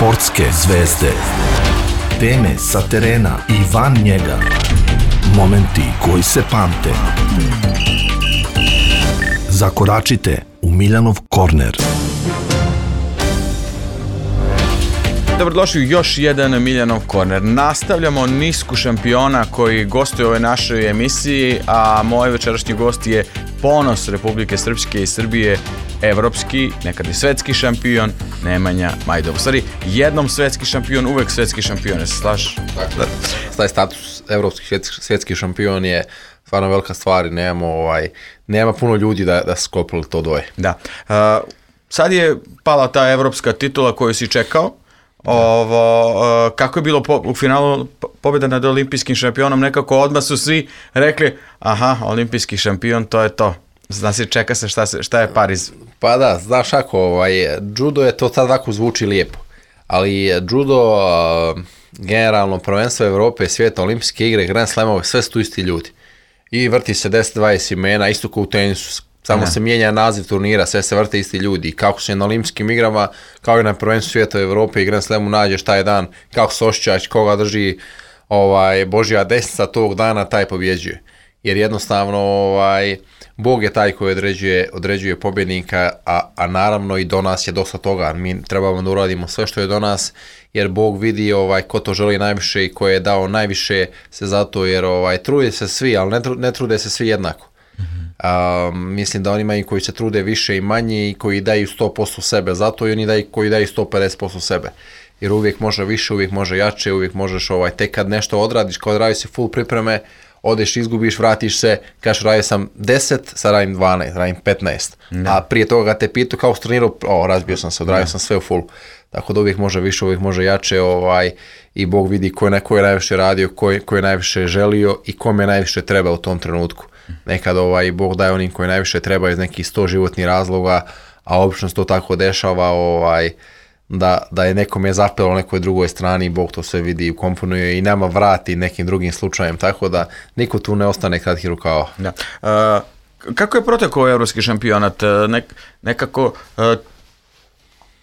Sportske zvezde. Teme sa terena i van njega. Momenti koji se pamte. Zakoračite u Miljanov korner. Dobrodošli u još jedan Miljanov korner. Nastavljamo nisku šampiona koji gostuje u ovoj našoj emisiji, a moj večerašnji gost je ponos Republike Srpske i Srbije, evropski, nekad i svetski šampion, Nemanja Majdov. U stvari, jednom svetski šampion, uvek svetski šampion, se slažeš? Dakle, taj status evropski svetski šampion je stvarno velika stvar i nema puno ljudi da su sklopili to dvoje. Da. Sad je pala ta evropska titula koju si čekao. Kako je bilo u finalu pobjeda nad olimpijskim šampionom? Nekako odmah su svi rekli, aha, olimpijski šampion, to je to. Znači, čeka se šta je Pariz. Pa da, znaš ako, judo je to sad ovako zvuči lijepo, ali judo, generalno prvenstvo Evrope, svijeta, olimpijske igre, Grand Slamove, sve su tu isti ljudi. I vrti se 10-20 imena, isto kao u tenisu. Samo se mijenja naziv turnira, sve se vrte isti ljudi. I kako se na olimpijskim igrama, kao i na prvenstvu svijeta Evrope i Grand Slamu nađeš taj dan, kako se osjećaš, koga drži Božja desnica tog dana, taj pobjeđuje. Jer jednostavno Bog je taj koji određuje pobjednika, a naravno i do nas je dosta toga. Mi trebamo da uradimo sve što je do nas, jer Bog vidi ko to želi najviše i ko je dao najviše se zato, jer trude se svi, ali ne trude se svi jednako. Mislim da oni imaju koji se trude više i manje i koji daju 100% sebe zato i oni koji daju 150% sebe. Jer uvijek može više, uvijek može jače, uvijek možeš tek kad nešto odradiš, kad odradiš si full pripreme, odeš, izgubiš, vratiš se, kažeš radio sam 10, sad radim 12, radim 15. Da. A prije toga te pitu kao s turniru, razbio sam se, odradio sam sve u full. Tako da uvijek može više, uvijek može jače i Bog vidi ko je najviše radio, ko je najviše želio i kome najviše treba u tom trenutku. Nekad Bog daje onim koji najviše treba iz nekih 100 životnih razloga, a obično se to tako dešava da je nekome zapelo nekoj drugoj strani i Bog to sve vidi i komponuje i nama vrati nekim drugim slučajem, tako da niko tu ne ostane kratkih rukava. Da. Kako je protekao evropski šampionat? Nekako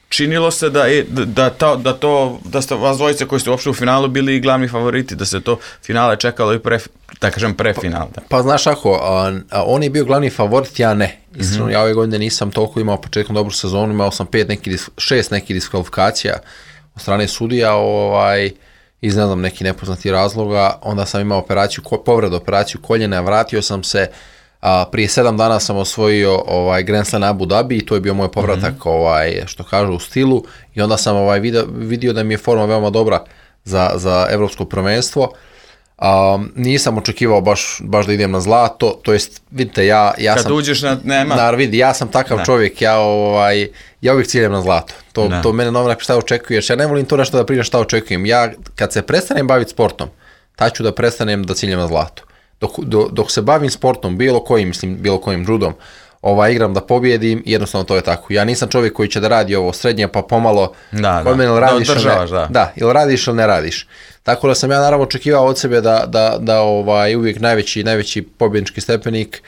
činilo se da ste vas dvojice koji ste uopšte u finalu bili i glavni favoriti, da se to finale čekalo i prefinal. Pa znaš ako, on je bio glavni favorit, ja ne. Iskreno, ja ove godine nisam toliko imao početkom dobru sezonu, imao sam 6 nekih diskvalifikacija od strane sudija, iz ne znam nekih nepoznatih razloga, onda sam imao povredu operaciju koljena, vratio sam se, prije 7 dana sam osvojio Grand Slam Abu Dhabi i to je bio moj povratak, što kažu, u stilu, i onda sam vidio da mi je forma veoma dobra za evropsko prvenstvo. Nisam očekivao baš da idem na zlato, to jest, vidite, ja kad sam... uđeš nema... Vidi, ja sam takav čovjek, ja uvijek ciljem na zlato. To mene novinar šta očekuješ, ja ne volim to nešto da pričam šta očekujem. Ja, kad se prestanem baviti sportom, tad ću da prestanem da ciljem na zlato. Dok se bavim sportom, bilo kojim judom, igram da pobjedim, jednostavno to je tako. Ja nisam čovjek koji će da radi ovo srednje, pa pomalo kod mene ili radiš ili ne radiš. Tako da sam ja naravno očekivao od sebe da uvijek najveći pobjednički stepenik.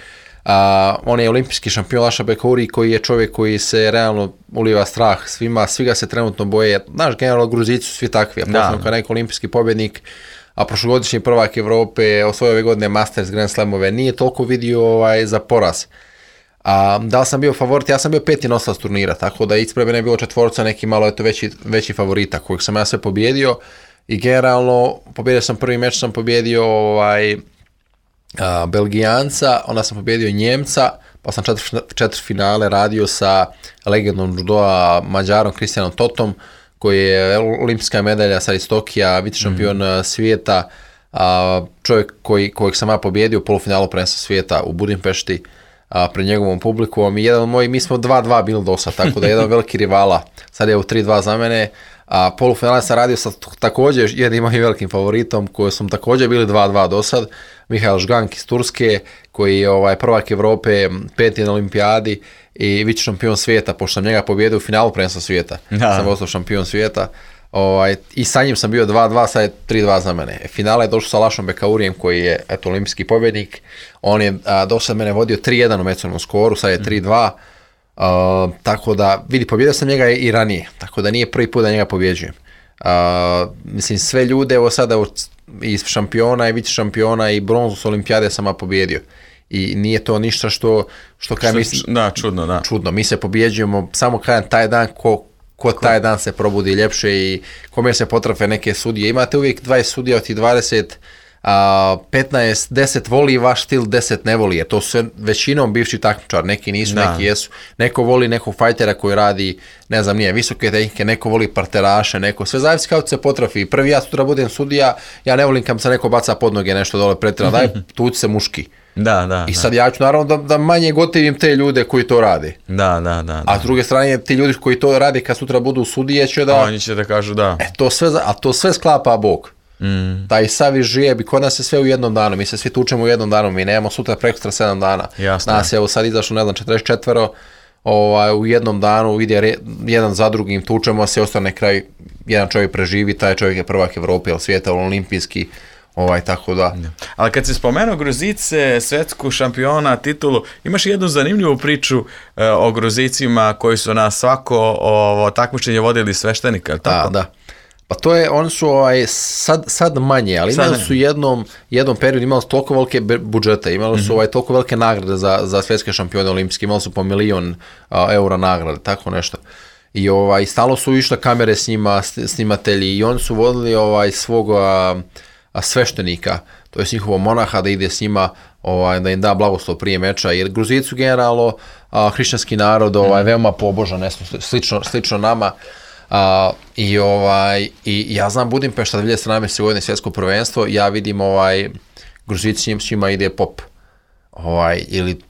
On je olimpijski šampion Laša Bekauri, koji je čovjek koji se realno uliva strah svima, svi ga se trenutno boje. Znaš, generalno Gruzici su svi takvi, a posebno kao neki olimpijski pobjednik, a prošlogodišnji prvak Evrope, osvojio ove godine Masters, Grand Slamove, nije toliko vidio za poraz. Da li sam bio favorit? Ja sam bio 5. nosilac turnira, tako da ispred mene je bilo 4, neki malo veći favorita, kojeg sam ja sve pobjedio, i generalno pobjedio sam prvi meč, sam pobjedio Belgijanca, onda sam pobjedio Njemca, pa sam 4 finale radio sa legendom judoa Mađarom Kristijanom Totom, koji je olimpijska medalja sad iz Tokija, vice šampion svijeta, čovjek kojeg sam ja pobjedio u polufinalu prvenstva svijeta u Budimpešti pred njegovom publikom, i mi smo 2-2 bili do sad, tako da je jedan veliki rivala, sad je u 3-2 za mene. Polufinale sam radio sa također jednim mojim velikim favoritom, koji smo također bili 2-2 do sad, Mihael Žgank iz Turske, koji je prvak Evrope, 5. na olimpijadi i vice šampion svijeta, pošto sam njega pobjedio u finalu prvenstva svijeta. Sam ostao šampion svijeta. I sa njim sam bio 2-2, sad je 3-2 za mene. Finale je došao sa Lašom Bekaurijem, koji je olimpijski pobjednik. On je do sad mene vodio 3-1 u međusobnom skoru, sad je 3-2. Tako da, vidi, pobjedio sam njega i ranije, tako da nije prvi put da njega pobjeđujem. Mislim, sve ljude, evo sada i šampiona i vice šampiona i bronzu s olimpijade sam pobjedio. I nije to ništa što kaj mislim... Da, čudno, da. Čudno, mi se pobjeđujemo, samo kažem taj dan ko taj dan se probudi ljepše i kome se potrafe neke sudije. Imate uvijek 20 sudija od tih 20, 15, 10 voli vaš stil, 10 ne voli. Jer to su većinom bivši takmičar, neki nisu, neki jesu. Neko voli nekog fajtera koji radi, ne znam, nije visoke tehnike, neko voli parteraše, neko, sve zavisi kako se potrafi. Prvi ja sutra budem sudija, ja ne volim kad se neko baca pod noge nešto dole pretjerano, daj tuć se muški. Da. I sad ja ću naravno da manje gotivim te ljude koji to rade. Da. A s druge strane, ti ljudi koji to rade kad sutra budu sudije će da... Oni će da kažu da. To sve sklapa Bog. Taj savi žijeb i kod nas je sve u jednom danu. Mi se svi tučemo u jednom danu. Mi nemamo sutra prekstra 7 dana. Jasno. Nas je evo sad izašlo, ne znam, 44 u jednom danu, ide jedan za drugim, tučemo se, ostane kraj, jedan čovjek preživi, taj čovjek je prvak Evrope ili svijeta, olimpijski. Tako da. Ali kad si spomenuo Gruzice, svetsku šampiona, titulu, imaš jednu zanimljivu priču o Gruzicima koji su na svako takmičenje vodili sveštenika, ali tako? Da. Pa to je, oni su sad manje, ali imali su jednom periodu, imali su toliko velike budžete, imali su toliko velike nagrade za svjetske šampione olimpijske, imali su po 1 milion eura nagrade, tako nešto. I stalno su išle kamere s njima, snimatelji, i oni su vodili svog sveštenika, to je njihovo monaha, da ide s njima, da im da blagoslov prije meča, jer Gruzici su generalno hrišćanski narod, veoma pobožan, slično nama. I ja znam Budimpešta 2017. godine svjetsko prvenstvo, ja vidim Gruzici s njima ide pop. Ili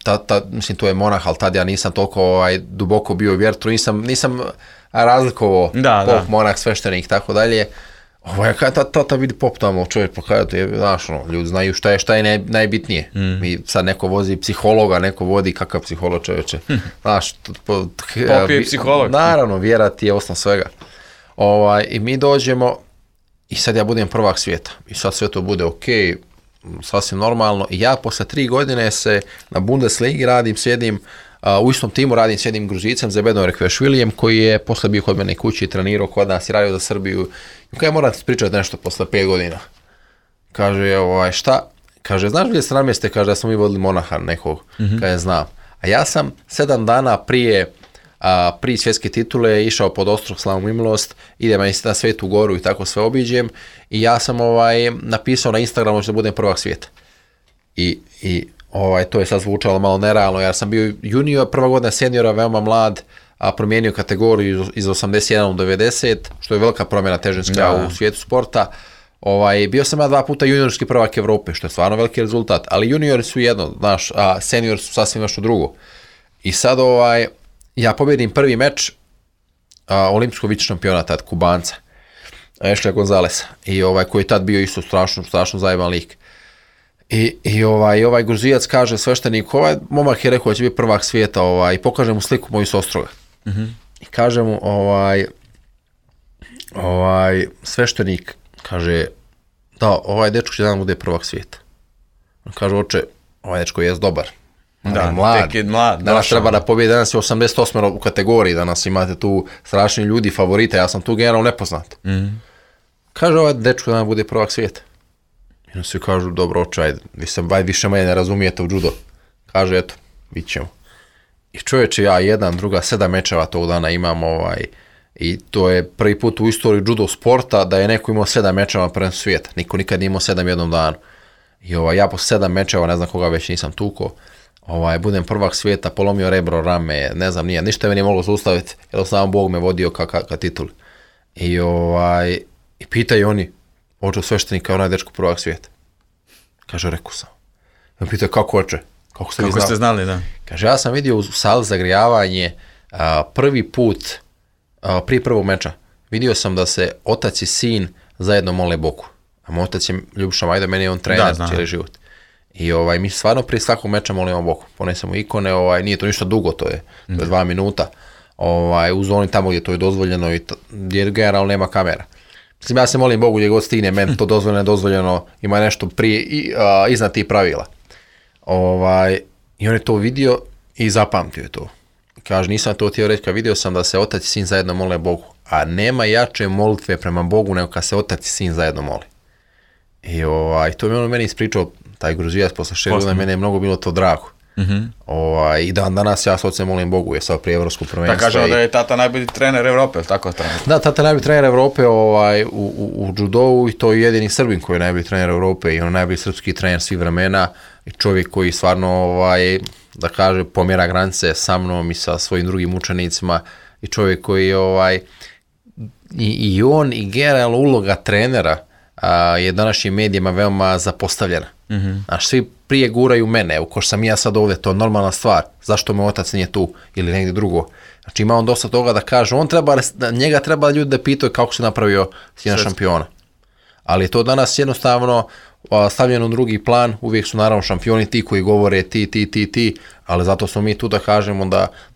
mislim to je monah, ali tad ja nisam toliko duboko bio u vjertru, nisam razlikovao pop, monah, sveštenik, tako dalje. Tata vidi pop tamo, čovjek pokajati, znaš, ljudi znaju šta je najbitnije. I sad neko vozi psihologa, neko vodi kakav psiholog, čovječe. Znaš, pop je psiholog. Naravno, vjera ti je osnov svega. I mi dođemo i sad ja budem prvak svijeta. I sad sve to bude okej, sasvim normalno. I ja posle 3 godine se na Bundesligi sjedim, u istom timu s jednim Gruzicem, Zebedom Rekvešvilijem, koji je posle bio kod mene kući i trenirao kod nas i radio za Srbiju. I kada moram ti pričati nešto posle 5 godina. Kaže, šta? Kaže, znaš 2017. kaže da smo mi vodili monaha nekog, kaže, znam. A ja sam 7 dana prije svjetske titule išao pod ostrog Slavu i milost, idem na Svetu Goru i tako sve obiđem. I ja sam napisao na Instagramu da budem prvak svijeta. I to je sad zvučalo malo nerealno, jer sam bio junior, prva godina seniora, veoma mlad, promijenio kategoriju iz 81 u 90, što je velika promjena težinska u svijetu sporta. Bio sam ja 2 puta juniorski prvak Evrope, što je stvarno veliki rezultat, ali juniori su jedno, znaš, a seniori su sasvim nešto drugo. I sad ja pobjedim prvi meč olimpijskog vice šampiona tad, Kubanca, Ešlija Gonzalesa, i koji je tad bio isto strašno zajeban lik. I ovaj Gruzijac kaže sveštenik, momak je rekao da će biti prvak svijeta, i pokaže mu sliku moju s Ostroga. I kaže mu, sveštenik, kaže, da, ovaj dečko će dan bude prvak svijeta. On kaže, oče, ovaj dečko je dobar. Mlad. Danas treba da pobjede, danas je 88 u kategoriji, danas imate tu strašni ljudi, favorita, ja sam tu generalno nepoznat. Kaže, ovaj dečko dan bude prvak svijeta. I onda svi kažu, dobro, oče, ajde, vi više manje ne razumijete u judo. Kaže, eto, bit ćemo. I čovječe, ja 1, 2, 7 mečeva tog dana imam, i to je prvi put u istoriji judo sporta da je neko imao 7 mečeva prvenstva svijeta. Niko nikad nije imao 7 jednom danu. I ja po 7 mečeva, ne znam koga već nisam tuko, budem prvak svijeta, polomio rebro, rame, ne znam, ništa me nije moglo zaustaviti, jer sam Bog me vodio ka tituli. I pitaju oni, oče sveštenika, onaj dečko prvak svijeta. Kaže, rekao sam. On pita, kako oče? Kako ste znali, da? Kaže, ja sam vidio u sali zagrijavanje prvi put, prije prvog meča, vidio sam da se otac i sin zajedno mole Bogu. A moj otac je Ljubiša Majda, meni je on trener cijeli život. I mi stvarno prije svakog meča molimo Bogu. Ponesemo ikone, nije to ništa dugo, to je 2 minuta. U zoni tamo gdje to je dozvoljeno i gdje generalno nema kamera. Mislim, ja se molim Bogu gdje god stigne, meni to dozvoljeno, ima nešto prije iznad tih pravila. I on je to vidio i zapamtio je to. Kaže, nisam to htio reći, kad vidio sam da se otac i sin zajedno mole Bogu, a nema jače molitve prema Bogu nego kad se otac i sin zajedno moli. I to mi on meni ispričao, taj Gruzijac posle 6 godina, mene je mnogo bilo to drago. I danas ja s ocem molim Bogu, je sad prije evropskog prvenstva. Da kažemo da je tata najbolji trener Evrope, tako trener? Da, tata je najbolji trener Evrope u judovu i to je jedini Srbin koji je najbolji trener Evrope i on je najbolji srpski trener svih vremena i čovjek koji stvarno, da kaže, pomjera granice sa mnom i sa svojim drugim učenicima i čovjek koji i on i generalno uloga trenera je današnjim medijima veoma zapostavljena. Znaš, svi prije guraju mene, ko sam ja sad ovdje, to je normalna stvar, zašto me otac nije tu ili negdje drugo. Znači ima on dosta toga da kaže, njega treba ljudi da pitaju kako se napravio sina šampiona. Ali to danas jednostavno stavljeno u drugi plan, uvijek su naravno šampioni ti koji govore ti, ali zato smo mi tu da kažemo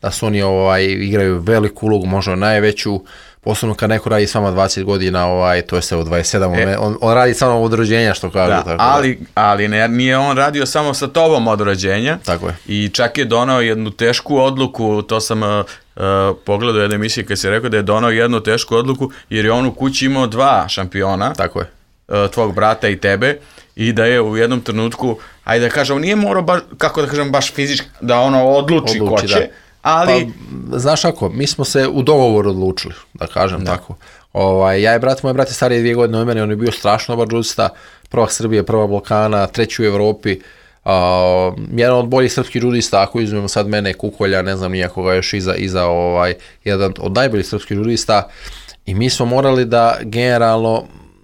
da su oni igraju veliku ulogu, možda najveću, posebno kad neko radi s vama 20 godina, to je sve u 27, on radi samo od rođenja, što kažu. Da, ali nije on radio samo sa tobom od rođenja. Tako je. I čak je donao jednu tešku odluku, to sam pogledao jednu emisiju kad si rekao da je donao jednu tešku odluku, jer je on u kući imao 2 šampiona. Tako je. Tvog brata i tebe, i da je u jednom trenutku, ajde da kažem, nije morao baš, kako da kažem, baš fizički da odluči ko će, da. Ali... Pa, znaš kako, mi smo se u dogovoru odlučili, da kažem tako. Ja i moj brat je stariji 2 godine od mene, on je bio strašno dobar džudista, prvak Srbije, prva Balkana, 3. u Evropi, jedan od boljih srpskih džudista, ako izmemo sad mene, Kukolja, ne znam nijakoga još iza jedan od najboljih srpskih džudista, i mi smo morali da generalno,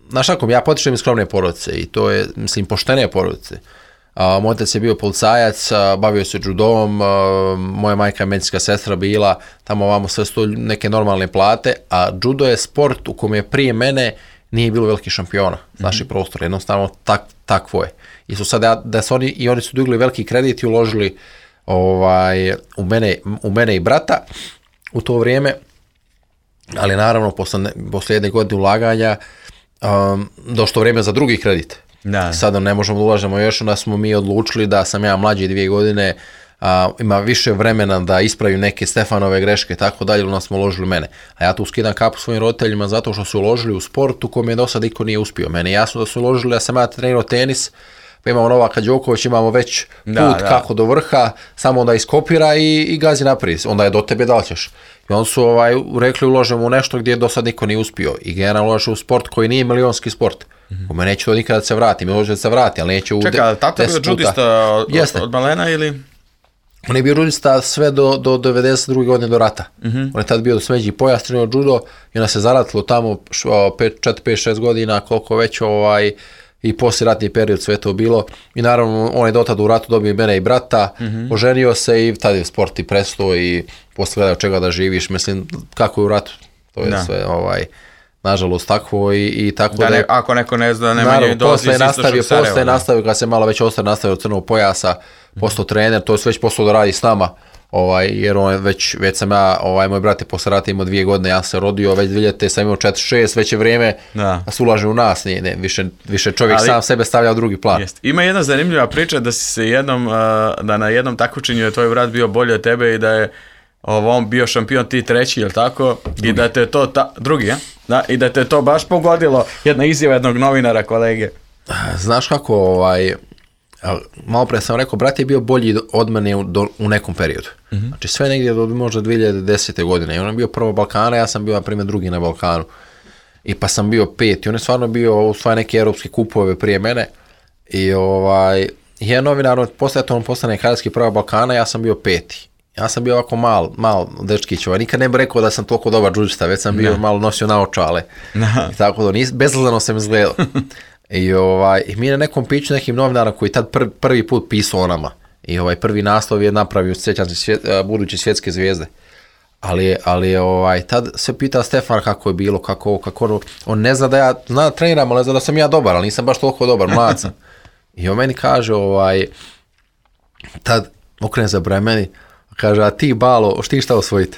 znaš kako, ja potičem iz skromne porodice i to je, mislim, poštene porodice. Moj otac je bio policajac, bavio se džudom, moja majka je medicinska sestra bila, tamo ovamo sve su neke normalne plate, a džudo je sport u kojem je prije mene nije bilo velikih šampiona, naši prostor, jednostavno takvo je. I su sad, oni su digli veliki kredit i uložili u mene i brata u to vrijeme, ali naravno posle jedne godine ulaganja došlo vrijeme za drugi kredit. Da. Sada ne možemo da ulažemo još, onda smo mi odlučili da sam ja mlađi 2 godine, ima više vremena da ispravim neke Stefanove greške i tako dalje, onda smo uložili mene. A ja tu skidam kapu svojim roditeljima zato što su uložili u sport u kojem je do sad niko nije uspio. Meni je jasno da su uložili, ja sam ja trenirao tenis, pa imamo Novaka Đoković, imamo već put kako do vrha, samo da iskopira i gazi naprijed, onda je do tebe da li ćeš. I onda su rekli uložimo u nešto gdje do sad niko nije uspio i generalno uložimo u sport koji nije milionski sport. U me neće to nikada da se vrati, mi može da se vrati, ali neće u 10 puta. Čekaj, tata bio džudista od malena ili? On je bio džudista sve do 92. godine do rata. On je tad bio do smeđi pojas, trenirao džudo i onda se zaratilo tamo 4-5-6 godina, koliko već i posljeratni period sve to bilo. I naravno, on je dotad u ratu dobio mene i brata, oženio se i tad je sport i prestao i posle gleda od čega da živiš. Mislim, kako je u ratu, to je sve nažalost takvo i tako da... Ako neko ne zna, Nemanja dolazi iz istočnog Sarajeva. Posle je nastavio, kad se malo već ostao nastavio od crnog pojasa, postao trener, to je već postao da radi s nama, jer on već sam ja, moj brat je posle rata imao 2 godine, ja se rodio, već 2000 sam imao 4-6, već je vrijeme da se ulaže u nas, više čovjek sam sebe stavlja u drugi plan. Ima jedna zanimljiva priča da si se da na jednom takmičenju je tvoj brat bio bolji od tebe i da je on bio šampion, ti 3, jel tako? Drugi. I da te to, drugi, ja? Da, i da te to baš pogodilo, jedna izjava jednog novinara, kolege. Znaš kako, malo pre sam rekao, brat je bio bolji od mene u nekom periodu. Znači sve negdje do možda 2010. godine. I on je bio prvo Balkana, ja sam bio na primjer drugi na Balkanu. I pa sam bio 5. I on je stvarno bio osvaja neke europske kupove prije mene. I jedan novinar, postane kanadski prvo Balkana, ja sam bio 5. Ja sam bio ovako mal dečkić, nikad ne bih rekao da sam toliko dobar džudžista, već sam bio malo nosio naočale. I tako da, bezazleno sam izgledao. I mi na nekom piću nekim novinarom koji tad prvi put pisao o nama. I prvi naslov je napravio, sjećam se, buduće svjetske zvijezde. Ali tad se pita Stefan kako je bilo, kako on ne zna da ja treniram, ali ne zna da sam ja dobar, ali nisam baš toliko dobar, mlad sam. I on meni kaže, tad okrene za meni, kaže, a ti Balo, ti šta osvojite?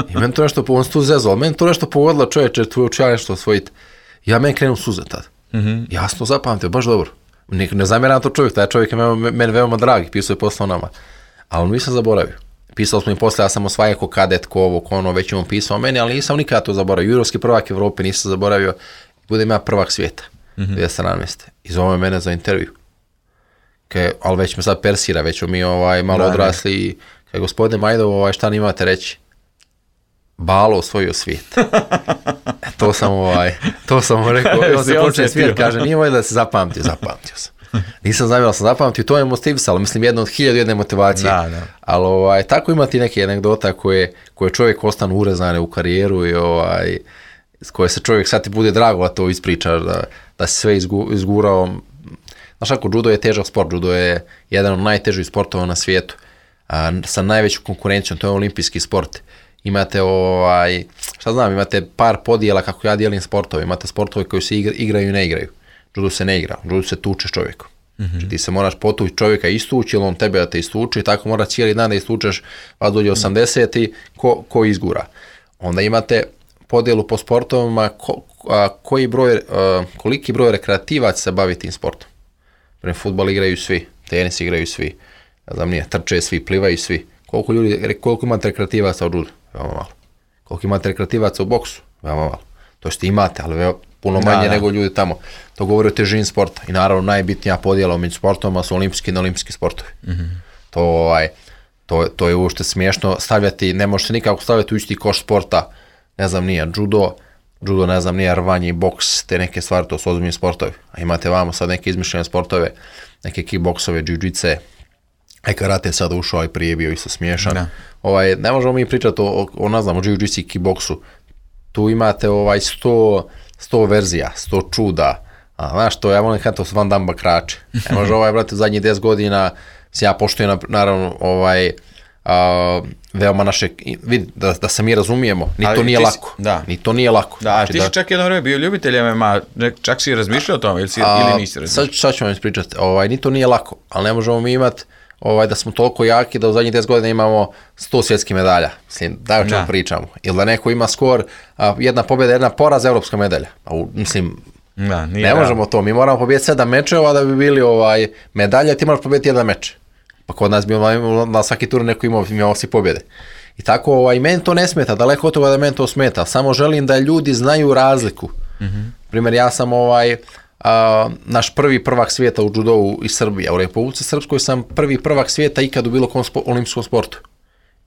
I meni to nešto, on se tu zezao, meni to nešto pogodilo, čovječe, tu ću ja nešto osvojiti. Ja meni krenu suze tad. Jasno zapamtio, baš dobro. Ne zamjeram to čovjek, taj čovjek je meni veoma dragi, pisao je posao nama. Ali on nisam zaboravio. Pisao smo i posle, ja sam osvajao ko kadet, ko ovo, ko ono, već imam pisao o meni, ali nisam nikada to zaboravio. Juniorski prvak Evrope nisam zaboravio, budem ja prvak svijeta, 2017. I zove mene za intervju. Ali već me sad persira, već mi malo odrasli i kaže, gospodine Majdov, šta nimate reći? Balo osvojio svijet. To sam rekao, on se počne svijet, kaže, nije moj da se zapamtio sam. Nisam znao da sam zapamtio, to je motivisalo, mislim, jedna od 1001 motivacije. Da. Ali tako imati neke anegdota koje čovjek ostane urezane u karijeru i s koje se čovjek sad ti bude drago da to ispričaš, da si sve izgurao. Znaš ako, judo je težak sport, judo je jedan od najtežih sportova na svijetu, sa najvećom konkurencijom, to je olimpijski sport. Imate imate par podijela kako ja dijelim sportove, imate sportove koji se igraju i ne igraju. Judo se ne igra, judo se tuče s čovjekom. Znači ti se moraš potući čovjeka istući ili on tebe da te istuči i tako mora cijeli dan da istučeš vas dođe 80 i ko izgura. Onda imate podjelu po sportovima koliki broj rekreativaca se bavi tim sportom. Prema fudbal igraju svi, tenis igraju svi, trče svi, plivaju svi. Koliko imate rekreativaca u judu? Veoma malo. Koliko imate rekreativaca u boksu? Veoma malo. To što imate, ali puno manje nego ljudi tamo. To govori o težini sporta. I naravno najbitnija podjela među sportovima su olimpijski i neolimpijski sportovi. To je uopšte smiješno stavljati, ne može se nikako stavljati u isti koš sporta, ne znam nije, judo, ne znam nije, rvanje, boks, te neke stvari, to su ozbiljni sportovi. A imate vamo sad neke izmišljene sportove, neke kickboksove, jiu-jitse, karate sad ušao i prije bio isto smiješan. Ne možemo mi pričati o jiu-jitsu i kickboksu. Tu imate 100 verzija, 100 čuda. Znaš to, ja volim kada to su Van Damme bakrače. Ne može brate, u zadnjih 10 godina, ja poštujem naravno veoma naše, vidi, da se mi razumijemo, ni to nije lako. Da, ti si čak jedno vreme bio ljubitelj MMA, čak si razmišljao o tome ili nisi razmišljao? Sad ću vam ispričati, ni to nije lako, ali ne možemo mi imati da smo toliko jaki da u zadnjih 10 godina imamo 100 svjetskih medalja. Mislim, da o čemu pričamo. Ili da neko ima skor, jedna pobjeda, jedna poraz, evropska medalja. Mislim, ne možemo to. Mi moramo pobijeti 7 mečeva da bi bili medalje, ti moraš pobijeti jedan meč. Pa kod nas bi na svaki tur neko imao svi pobjede. I tako, i meni to ne smeta, daleko od toga da meni to smeta. Samo želim da ljudi znaju razliku. Primjer, ja sam naš prvi prvak svijeta u judovu iz Srbije. U Republici Srpskoj sam prvi prvak svijeta ikad u bilo kom olimpijskom sportu.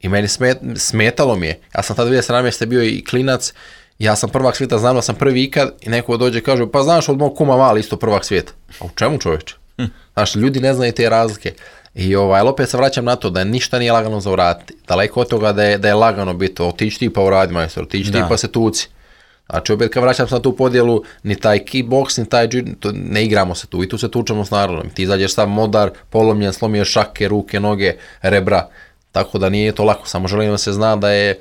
I meni smetalo mi je. Ja sam tada 2017. bio i klinac, ja sam prvak svijeta, znao sam prvi ikad i neko dođe i kaže, pa znaš od mog kuma Mali isto prvak svijeta. A u čemu čovječe? Znaš, ljudi ne znaju te razlike. I opet se vraćam na to da ništa nije lagano za uraditi. Daleko od toga da je lagano biti, otići ti pa uradi majstor, otići ti pa se tuci. Znači opet kad vraćam se na tu podjelu, ni taj kickboks, ni taj ne igramo se tu i tu se tučemo s narodom. Ti izađeš sam modar, polomljen, slomiješ šake, ruke, noge, rebra, tako da nije to lako. Samo želim da se zna da je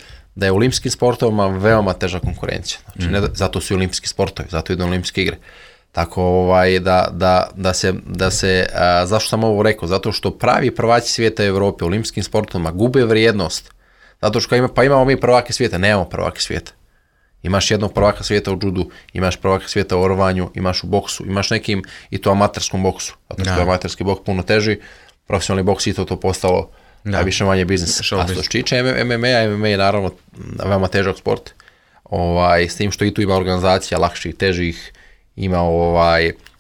u olimpijskim sportovima veoma teža konkurencija. Znači, zato su i olimpijski sportovi, zato idu olimpijske igre. Tako da se zašto sam ovo rekao? Zato što pravi prvaci svijeta Evrope u olimpijskim sportovima gube vrijednost. Zato što imamo mi prvake svijeta, nemamo prvake svijeta. Imaš jednog prvaka svijeta u judu, imaš prvaka svijeta u rvanju, imaš u boksu, imaš nekim i to amaterskom boksu. Zato što je amaterski boks puno teži, profesionalni boks i to postalo više manje biznis. A što se tiče MMA je naravno veoma težak sport. S tim što i tu ima organizacija lakših, težih, ima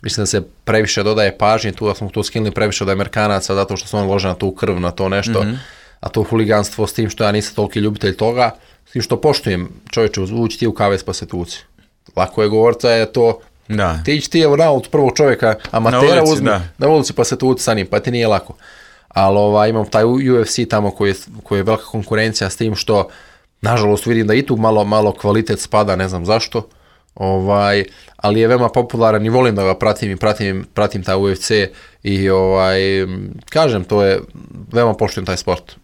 mislim da se previše dodaje pažnje, tu da smo to skinuli previše od Amerikanaca zato što su oni lože na tu krv, na to nešto, a to huliganstvo s tim što ja nisam toliki ljubitelj toga, s tim što poštujem čovječe, ući ti u kavez pa se tuci. Lako je govorca je to, ti ići ti evo na ulicu prvog čovjeka, amatera uzmi na ulici pa se tuci sa njim, pa ti nije lako. Ali imam taj UFC tamo koji je velika konkurencija s tim što, nažalost vidim da i tu malo kvalitet spada, ne znam zašto, ali je veoma popularan i volim da ga pratim i pratim taj UFC i kažem, to je veoma poštujem taj sport,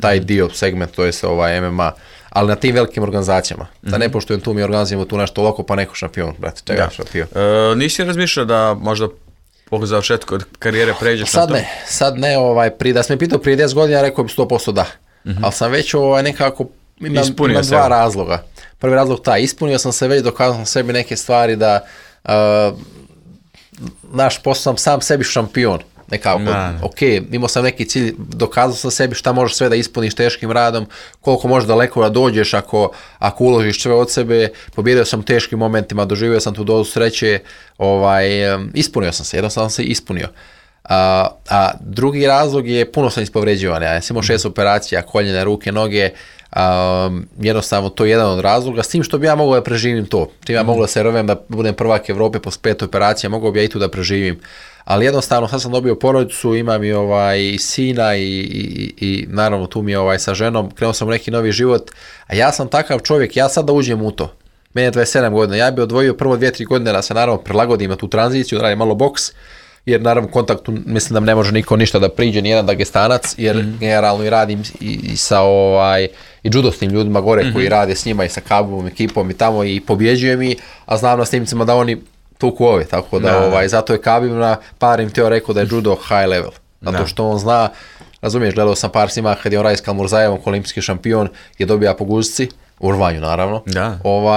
taj dio segment, to je se MMA, ali na tim velikim organizacijama. Da ne poštujem tu, mi organizujemo tu nešto loko, pa neko šampion, brate, čega šampion. Nisi razmišljao da možda po završetku od karijere pređeš na to? Sad ne, da sam me pitao prije 10 godina, rekao bi 100% da. Ali sam već nekako, imam dva razloga. Prvi razlog ispunio sam se već, dokazao sam sebi neke stvari da postao sam sebi šampion. nekako, ok, imao sam neki cilj, dokazao sam sebi šta možeš sve da ispuniš teškim radom, koliko možeš daleko da dođeš ako uložiš sve od sebe, pobjedio sam u teškim momentima, doživio sam tu dozu sreće, ispunio sam se, jednostavno sam se ispunio. A drugi razlog je, puno sam ispovređivan, ja sam imao 6 operacija, koljene, ruke, noge, jednostavno to je jedan od razloga, s tim što bi ja mogao da preživim to, čim ja mogu da se rovem da budem prvak Evrope posle 5 operacija, mogao bi ja i tu da preživim, ali jednostavno sad sam dobio porodicu, imam i sina i naravno tu mi je sa ženom, krenuo sam u neki novi život, a ja sam takav čovjek, ja sad da uđem u to, meni je 27 godina, ja bi odvojio prvo 2-3 godine da se naravno prilagodim na tu tranziciju, da radim malo boks, jer naravno u kontaktu mislim da ne može niko ništa da priđe, nijedan Dagestanac, jer generalno i radim i sa i judosnim ljudima gore koji rade s njima i sa Kabom ekipom i tamo i pobjeđujem i, a znam na snimcima da oni tuku ove, tako da zato je Kabim na par im teo rekao da je judo high level, zato što on zna, razumiješ, gledao sam par snima kad je on radi s Kalmurzajevom, olimpijski šampion, je dobija po guzici, u rvanju naravno,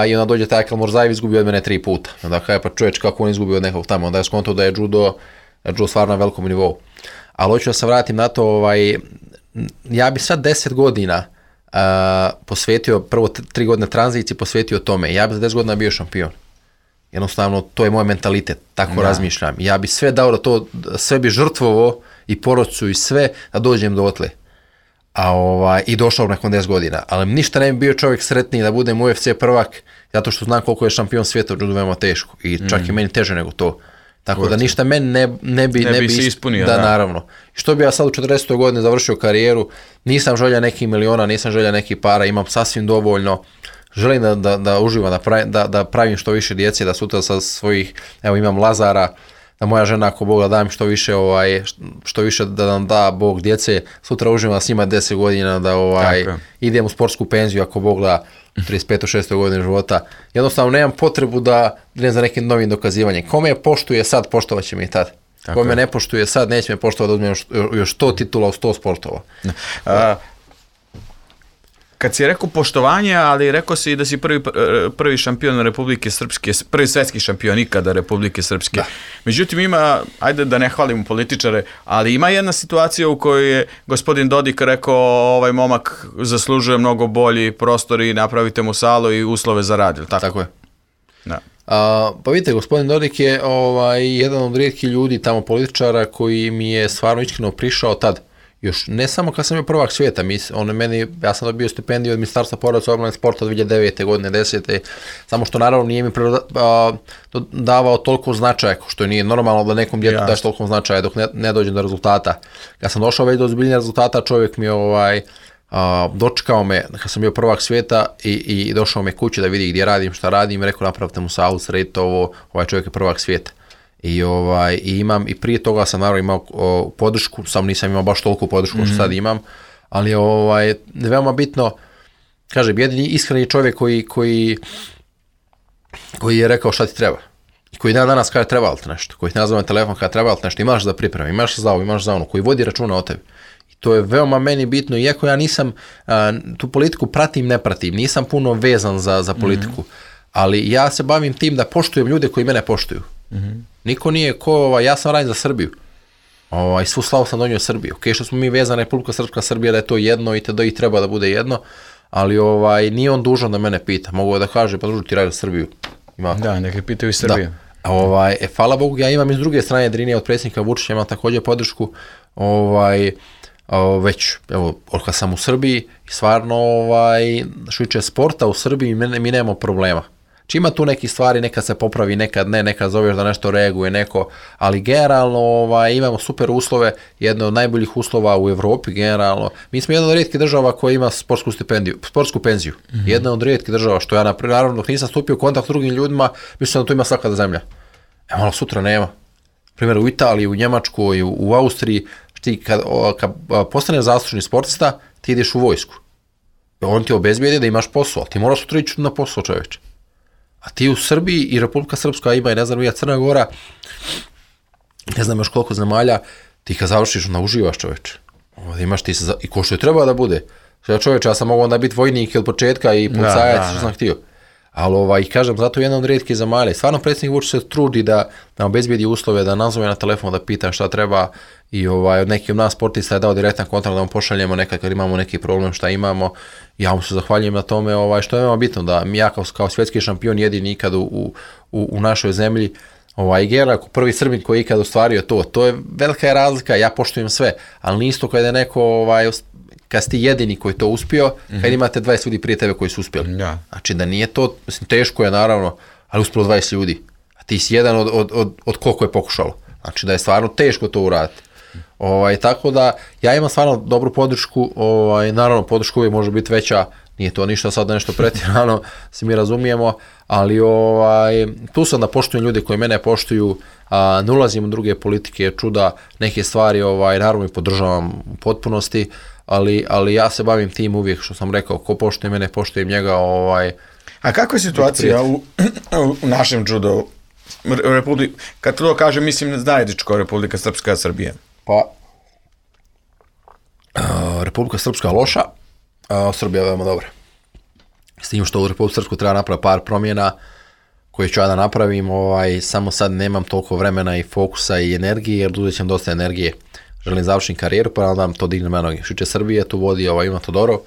i onda dođe taj Kalmurzajev izgubio od mene 3 puta, onda kada je pa čovječ kako on izgubio od nekog tamo, onda je skontao da je judo stvarno na velikom nivou. Ali hoću da se vratim na to, ja bi sad 10 godina posvetio, prvo 3 godine tranziciji posvetio tome, ja bi za 10 godina bio šampion. Jednostavno, to je moj mentalitet, tako razmišljam. Ja bi sve dao da to, sve bi žrtvovo i porodicu i sve da dođem do otle. I došao nakon 10 godina. Ali ništa ne bi bio čovjek sretniji da budem UFC prvak, zato što znam koliko je šampion svijeta u judu veoma teško. I čak i meni teže nego to. Tako da ništa meni ne bi se ispunio. Da, naravno. Što bi ja sad u 40. godini završio karijeru, nisam želja nekih miliona, nisam želja nekih para, imam sasvim dovoljno. Želim da uživam, da pravim što više djece, da sutra sa svojih, evo imam Lazara, da moja žena ako Bog da dam što više da nam da Bog djece, sutra uživam s njima 10 godina, da idem u sportsku penziju ako Bog da 35. 6. godine života. Jednostavno nemam potrebu da idem za nekim novim dokazivanjem. Ko me poštuje sad, poštovat će me i tad. Ko me ne poštuje sad, neće me poštovati da uzmem još 100 titula u 100 sportova. Kad si rekao poštovanje, ali rekao si da si prvi šampion Republike Srpske, prvi svetski šampion ikada Republike Srpske. Da. Međutim, ima, ajde da ne hvalimo političare, ali ima jedna situacija u kojoj je gospodin Dodik rekao ovaj momak zaslužuje mnogo bolji prostor i napravite mu salu i uslove za rad, tako? Tako je. Da. Pa vidite, gospodin Dodik je jedan od rijetkih ljudi tamo političara koji mi je stvarno iskreno prišao tad. Još ne samo kad sam bio prvak svijeta, ja sam dobio stipendiju od Ministarstva porodice i obnovljenog sporta 2009. godine, 10. Samo što naravno nije mi davao toliko značaja, što nije normalno da nekom djetu daš toliko značaja dok ne dođem do rezultata. Kad sam došao već do ozbiljnijeg rezultata, čovjek mi dočekao me kad sam bio prvak svijeta i došao me kući da vidi gdje radim, šta radim, rekao napravite mu salu, sredite ovo, ovaj čovjek je prvak svijeta. I prije toga sam naravno imao podršku, sam nisam imao baš toliko podršku što sad imam, ali je veoma bitno, kažem, jedini iskreni čovjek koji je rekao šta ti treba. I koji danas kaže treba li ti nešto, koji ti nazove telefon kada treba li ti nešto, imaš za pripremu, imaš za ovo, imaš za ono, koji vodi računa o tebi. I to je veoma meni bitno, iako ja nisam, tu politiku pratim, ne pratim, nisam puno vezan za politiku, ali ja se bavim tim da poštujem ljude koji mene poštuju. Niko nije ja sam radim za Srbiju. Svu slavu sam donio Srbiju. Što smo mi vezani Republika Srpska, Srbija, da je to jedno i treba da bude jedno, ali nije on dužan da mene pita. Mogu da kaže, pa druže ti radi za Srbiju. Da, neka pitaju i Srbiju. Hvala Bogu, ja imam iz druge strane Drinija od predsjednika Vučića, imam također podršku već, evo, kad sam u Srbiji, stvarno što tiče sporta u Srbiji, mi nemamo problema. Ima tu neki stvari, nekad se popravi, nekad ne, nekad zoveš da nešto reaguje neko, ali generalno imamo super uslove, jedno od najboljih uslova u Evropi generalno. Mi smo jedna od rijetkih država koja ima sportsku penziju. Jedna od rijetkih država, što ja naravno dok nisam stupio u kontakt s drugim ljudima, mislim da tu ima svaka zemlja. Malo sutra nema. Primjer u Italiji, u Njemačkoj, u Austriji, kad postaneš zaslužni sportista, ti ideš u vojsku. On ti obezbijedi da imaš posao, ali ti moraš sutra ići na posao, čovječe. A ti u Srbiji i Republika Srpska ima i ne znam, Crna Gora, ne znam još koliko zemalja, ti kad završiš, onda uživaš, čoveče. Imaš ti i ko što je treba da bude. Čoveče, ja sam mogao onda biti vojnik od početka i policajac, što sam htio. Ali kažem, zato je jedna od rijetkih zemalja. Stvarno predsjednik Vučić se trudi da nam obezbijedi uslove, da nazove na telefon, da pita šta treba i od nekih od nas sportista je dao direktan kontakt da mu pošaljemo nekad kad imamo neki problem šta imamo. Ja mu se zahvaljujem na tome, što je veoma bitno, da ja kao svjetski šampion jedini ikad u našoj zemlji, Gerlach, prvi Srbin koji je ikad ostvario to je velika razlika, ja poštujem sve, ali nije isto kada je neko, kad si ti jedini koji to uspio, kad imate 20 ljudi prije tebe koji su uspjeli. Da. Znači da nije to, mislim, teško je naravno, ali uspjelo 20 ljudi, a ti si jedan od koliko je pokušalo. Znači da je stvarno teško to uraditi. Tako da ja imam stvarno dobru podršku, naravno podrška uvijek može biti veća, nije to ništa sad nešto pretjerano, se mi razumijemo, ali tu sam da poštujem ljude koji mene poštuju, ne ulazim u druge politike, čuda, neke stvari, naravno i podržavam u potpunosti, ali ja se bavim tim uvijek, što sam rekao, ko poštuje mene, poštujem njega. A kakva je situacija u našem judo? Kad to kažem, mislim zajedničko Republika Srpska, Srbija. Pa, Republika Srpska loša, Srbija veoma dobra. S tim što u Republiku Srpsku treba napraviti par promjena koje ću ja da napravim, samo sad nemam toliko vremena i fokusa i energije, jer uzet ćem dosta energije. Želim završiti karijeru, pa onda to dignem na noge. Što će Srbije, tu vodi Ivan Todorov,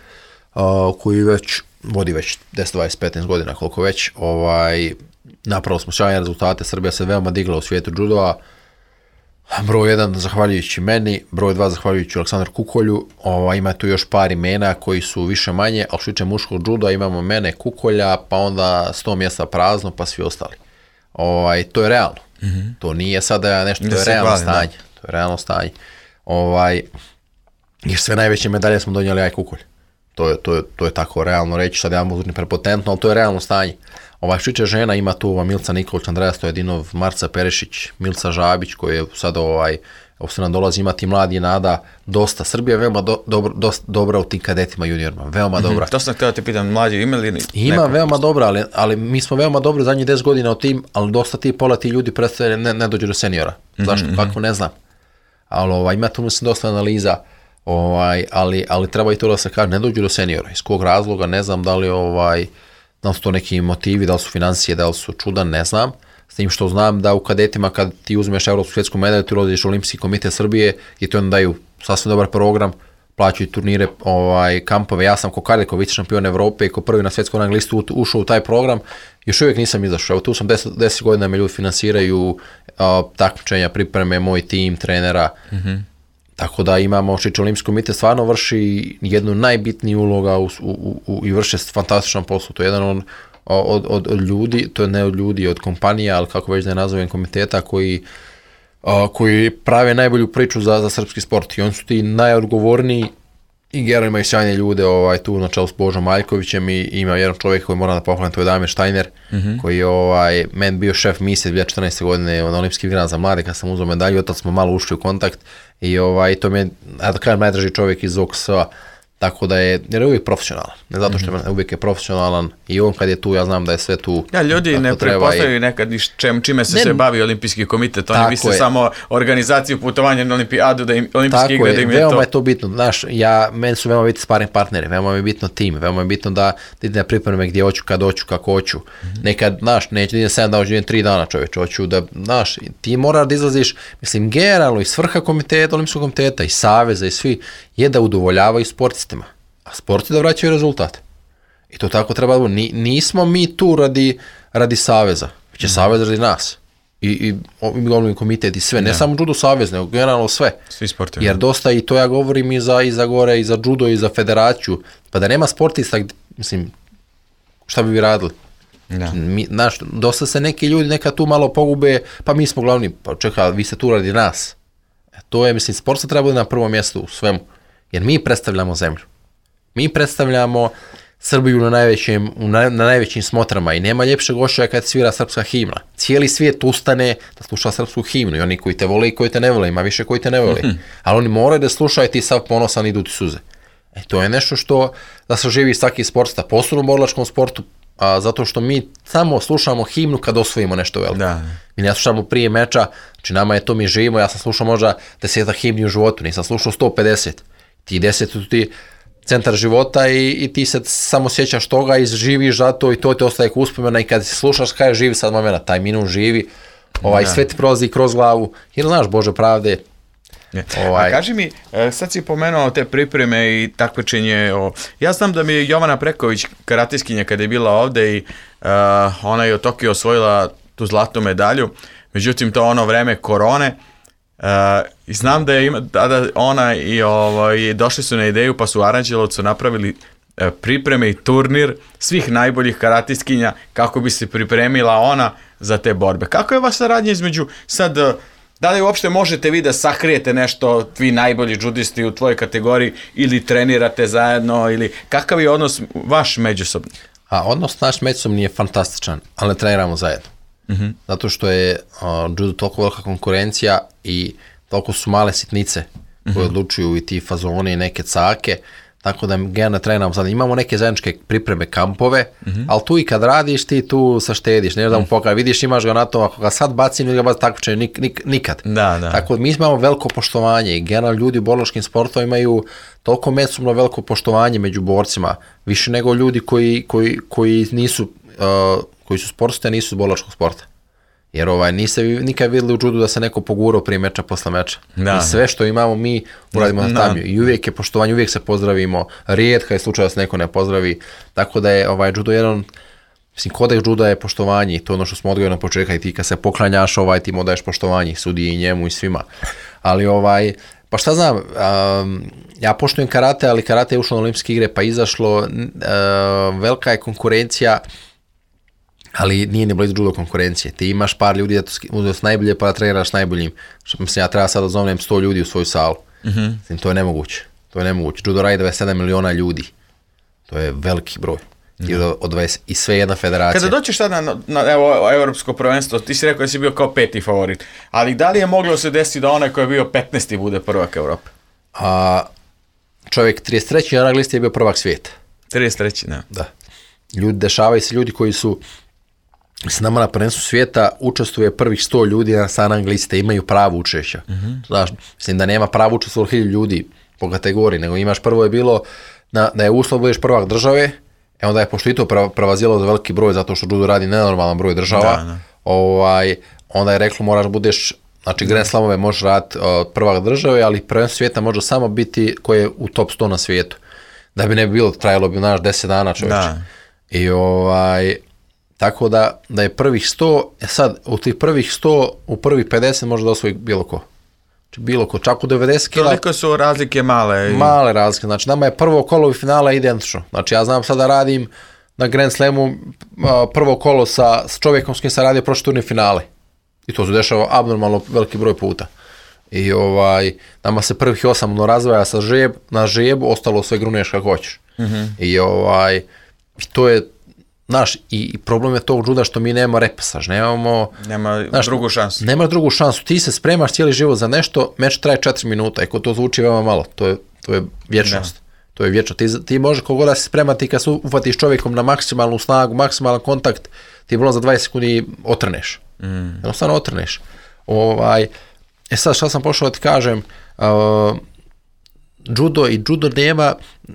koji vodi već 10, 20, 15 godina, koliko već. Napravili smo sjajne rezultate, Srbija se veoma digla u svijetu judoa. Broj 1 zahvaljujući meni, broj 2 zahvaljujući Aleksandru Kukolju, ima tu još par imena koji su više manje, ali što tiče muškog juda imamo mene, Kukolja, pa onda 100 mjesta prazno, pa svi ostali. To je realno. To nije sada nešto, to je realno stanje. To je realno stanje. Jer sve najveće medalje smo donijeli ja i Kukolj. To je tako realno reći, sad ja možda prepotentno, ali to je realno stanje. Što tiče žena ima tu Milica Nikolić, Andreja Stojedinov, Marca Perešić, Milica Žabić koji je sad se nam dolazi, imati mladi nada, dosta. Srbija je veoma dobra u tim kadetima juniorima, veoma dobra. To sam htio te pitam, mlađi imali li? Ima veoma dobra, ali mi smo veoma dobri zadnjih 10 godina u tim, ali dosta pola ti ljudi predstavlja ne dođu do seniora. Zašto? Kako ne znam. Ali ima tu mislim dosta analiza, ali treba i to da se kaže, ne dođu do seniora. Iz kog razloga, ne znam da li da li su to neki motivi, da li su financije, da li su čuda, ne znam. S tim što znam da u kadetima kad ti uzmeš Evropsku svjetsku medalju, ti ulaziš u Olimpijski komitet Srbije i ti onda daju sasvim dobar program, plaćaju turnire, kampove. Ja sam ko Karlikov, vice šampion Evrope i ko prvi na svjetskom rang listu ušao u taj program. Još uvijek nisam izašao. Evo tu sam 10 godina me ljudi finansiraju, takmičenja, pripreme, moj tim, trenera. Tako da imamo, što Olimpijski komitet stvarno vrši jednu najbitniju uloga i vrše fantastičan posao. To je jedan od ljudi, to je ne od ljudi, od kompanija, ali kako već da je nazovem, komiteta koji prave najbolju priču za srpski sport. I oni su ti najodgovorniji i Gerlach imaju sjajne ljude tu na čelu s Božom Maljkovićem i ima jedan čovjek koji moram da pohvalim, to je Damir Štajner, koji je meni bio šef misije 2014. godine na Olimpijskih igrama za mlade kad sam uzeo medalju, od tada smo malo ušli u kontakt i to mi je, da kažem, najdraži čovjek iz OKS-a, tako da jer je uvijek profesionalan, ne zato što je uvijek profesionalan i on kad je tu, ja znam da je sve tu. Ja, ljudi ne prepostavljaju nekad čime se bavi Olimpijski komitet, oni misle samo organizaciju putovanja na Olimpijadu, da im Olimpijske igre, da im je to. Veoma je to bitno, znaš, meni su veoma biti sparring partneri, veoma je bitno tim, veoma je bitno da idem na pripreme gdje hoću, kad hoću, kako hoću. Nekad, znaš, neću da idem 7 dana, hoću da idem 3 dana, čovječe, hoću da, znaš, ti moraš da izlaziš, mislim, generalno i svrha komiteta, Olimpijskog komiteta i saveza i svi, je da udovoljavaju sportistima, a sporti da vraćaju rezultate. I to tako treba da bude. Nismo mi tu radi saveza, već je savez radi nas. I Olimpijski komitet i sve, ne samo judo savez, nego generalno sve. Svi sportovi. Jer dosta, i to ja govorim i za gore, i za judo, i za federaciju, pa da nema sportista, mislim, šta bi vi radili? Znaš, dosta se neki ljudi neka tu malo pogube, pa mi smo glavni, pa čekaj, vi ste tu radi nas. To je, mislim, sport se treba bude na prvom mjestu u svemu, jer mi predstavljamo zemlju. Mi predstavljamo Srbiju na najvećim smotrama i nema ljepšeg ošaja kad svira srpska himna. Cijeli svijet ustane da sluša srpsku himnu i oni koji te vole i koji te ne vole, ima više koji te ne vole. Ali oni moraju da slušaju, ti sav ponosan, idu ti suze. To je nešto što da se živi svaki sportista, posebno u borilačkom sportu, zato što mi samo slušamo himnu kad osvojimo nešto veliko. Mi ne slušamo prije meča, znači nama je to, mi živimo, ja sam slušao možda 10 himni u životu, nisam slušao 150. Ti 10 ti centar života i ti se samo sjećaš toga i živiš za to i to te ostaje kao uspomena i kad slušaš kaj živi sad momena, taj minut živi, sve ti prolazi kroz glavu, jer znaš Bože pravde. A kaži mi, sad si pomenuo te pripreme i takmičenje, ja znam da mi je Jovana Preković, karateskinja, kada je bila ovde i ona je u Tokiju osvojila tu zlatnu medalju, međutim to ono vreme korone, i znam da je tada ona i došli su na ideju pa su u Aranđelovcu napravili pripreme i turnir svih najboljih karatistkinja kako bi se pripremila ona za te borbe. Kako je vaša saradnja između sad, da li uopšte možete vi da sakrijete nešto, vi najbolji džudisti u tvojoj kategoriji ili trenirate zajedno ili kakav je odnos vaš međusobni? Odnos naš međusobni je fantastičan, ali ne treniramo zajedno. Zato što je judo toliko velika konkurencija i toliko su male sitnice koje odlučuju i ti fazone i neke cake, tako da generalno treniramo sad. Imamo neke zajedničke pripreme kampove, ali tu i kad radiš ti tu saštediš, ne da mu pokaže, vidiš imaš ga na tom, ako ga sad bacim ili ga bacim takmičenje, nikad. Tako da mi imamo veliko poštovanje i generalno ljudi u borilačkim sportovima imaju toliko međusobno veliko poštovanje među borcima, više nego ljudi koji nisu koji su sportisti, a nisu iz borilačkog sporta. Jer niste nikad vidjeli u judu da se neko pogurao prije meča, posle meča. I sve što imamo mi uradimo na tamju. I uvijek je poštovanje, uvijek se pozdravimo. Rijetka je slučaj da se neko ne pozdravi. Tako da je judo jedan, kodeks juda je poštovanje. To je ono što smo odgojili na početka i ti kad se poklanjaš, ti mu daješ poštovanje sudiji i njemu i svima. Ali pa šta znam, ja poštujem karate, ali karate je ušlo na olimpijske igre pa izašlo, velika je konkurencija, ali nije ni blizu judo konkurencije. Ti imaš par ljudi da su najbolje pa da treniraš najboljim. Mislim, ja treba sad da zovnem 100 ljudi u svoju salu. To je nemoguće. Judo radi 27 miliona ljudi. To je veliki broj. I sve jedna federacija. Kada doćeš sada na evropsko prvenstvo, ti si rekao da si bio kao 5. favorit, ali da li je moglo se desiti da onaj koji je bio 15. bude prvak Evrope? Čovjek 33. na rang listi je bio prvak svijeta. 33. Da. Dešavaju se ljudi koji su s nama na prvenstvu svijeta, učestvuje prvih 100 ljudi sa rang liste, imaju pravo učešća. Znaš, mislim da nema pravo učestvuje 1000 ljudi po kategoriji, nego imaš prvo je bilo da je uslov budeš prvak države, onda je pošto i to prevazilo za veliki broj, zato što judo radi nenormalan broj država, onda je reklo moraš budeš, znači Grand Slamove možeš raditi prvak države, ali prvenstvo svijeta može samo biti koji je u top 100 na svijetu. Da bi ne bilo, trajalo bi 10 dana čovječe. I tako da je prvih 100, sad u tih prvih 100, u prvih 50 može da osvoji bilo ko. Znači bilo ko, čak u 90 kila. Toliko su razlike male. Male razlike, znači nama je prvo kolo i finala identično. Znači ja znam sad da radim na Grand Slamu prvo kolo sa čovjekom s kim sam radio prošle turne finale. I to se dešava abnormalno veliki broj puta. I nama se prvih 8 razvaja na žebu, ostalo sve gruneš kako hoćeš. I to je znaš, i problem je tog juda što mi nemamo repasaž, nema drugu šansu. Nemaš drugu šansu, ti se spremaš cijeli život za nešto, meč traje 4 minuta, i ko to zvuči veoma malo, to je vječnost. To je vječno. Ti može kogod da se spremati kad se uvatiš čovjekom na maksimalnu snagu, maksimalan kontakt, ti bilo za 20 sekundi otrneš. Jednostavno otrneš. Sad šta sam pošao da ti kažem, judo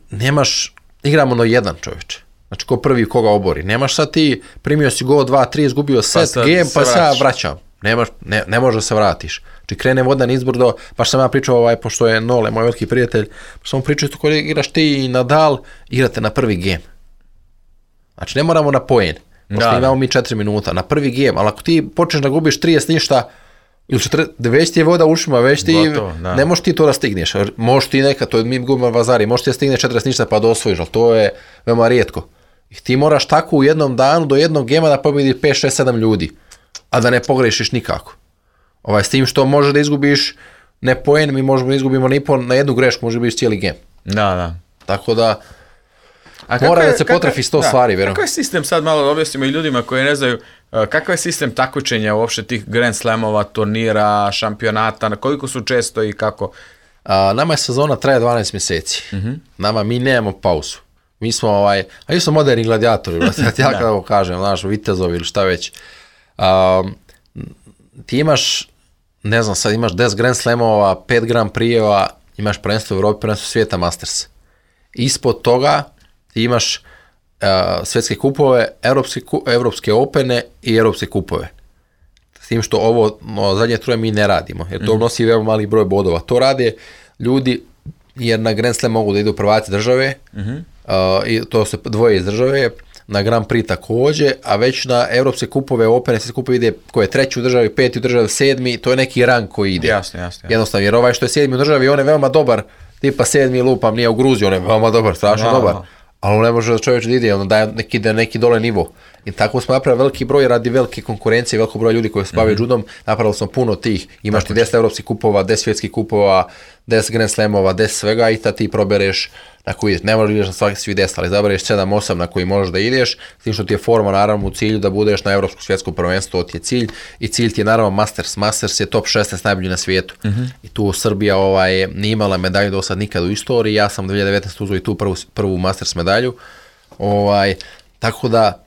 nemaš, igramo na jedan čovječe. Znači ko prvi koga obori. Nemaš sad ti, primio si go 2, 3, izgubio set, game, pa sad vraćam. Ne može da se vratiš. Znači krene vodan izbor pa što sam ja pričao, pošto je Nole, moj veliki prijatelj, pa sam mu pričao isto koji igraš ti i Nadal, igrate na prvi game. Znači ne moramo na poen, pošto imamo mi 4 minuta, na prvi game, ali ako ti počneš da gubiš 30 ništa, ili već ti je voda u ušima, već ti, ne možeš ti to da stigneš, možeš ti nekad, to je mi gubimo vazari, možeš ti da stigneš 40 ništa pa da osvojiš, ali to je veoma rijetko. I ti moraš tako u jednom danu do jednog gema da pobjedi 5, 6, 7 ljudi, a da ne pogrešiš nikako. S tim što može da izgubiš ne poen, mi možemo da izgubimo na jednu grešku, može biti cijeli gem. Da. Tako da mora da se potrefi 100 stvari, vjerujem. Kakav je sistem, sad malo da objasnimo i ljudima koji ne znaju, kakav je sistem takmičenja uopšte tih Grand Slamova, turnira, šampionata, koliko su često i kako? Nama je sezona traje 12 mjeseci. Mi nemamo pauzu. Mi smo, mi smo moderni gladijatori, ja kada kažem, znaš, vitezovi ili šta već. Ti imaš, ne znam, sad imaš 10 Grand Slamova, 5 Grand Prix-eva, imaš prvenstvo u Europi, prvenstvo svijeta, Masters. Ispod toga ti imaš svjetske kupove, evropske opene i evropske kupove. S tim što ovo zadnje troje mi ne radimo, jer to nosi veoma mali broj bodova. To rade ljudi jer na Grand Slam mogu da idu prvaci države, i to se dvoje iz države, na Grand Prix takođe, a već na evropske kupove, opene, svjetske kupove ide ko je treći u državi, peti u državi, sedmi, to je neki rang koji ide. Jasno. Jednostavno, jer ovaj što je sedmi u državi, on je veoma dobar, tipa sedmi lupam, nije u Gruziji, on je veoma dobar, strašno dobar. Ali on ne može da čovječ da ide, on daje neki dole nivo. I tako smo napravili veliki broj radi velike konkurencije, veliko broj ljudi koji se bave judom, napravili smo puno tih. Imaš ti 10 evropskih kupova, 10 svjetskih kupova, 10 Grand Slamova, 10 svega i tad ti probereš na koji ideš. Ne možeš da ideš na svaki svi 10, ali zabereš 7-8 na koji možeš da ideš, s tim što ti je forma naravno u cilju da budeš na evropskom svjetskom prvenstvu, to ti je cilj. I cilj ti je naravno Masters. Masters je top 16 najbolji na svijetu. I tu Srbija nije imala medalju do sad nikad u istoriji. Ja sam 2019 uzeo i tu prvu Masters medalju. Tako da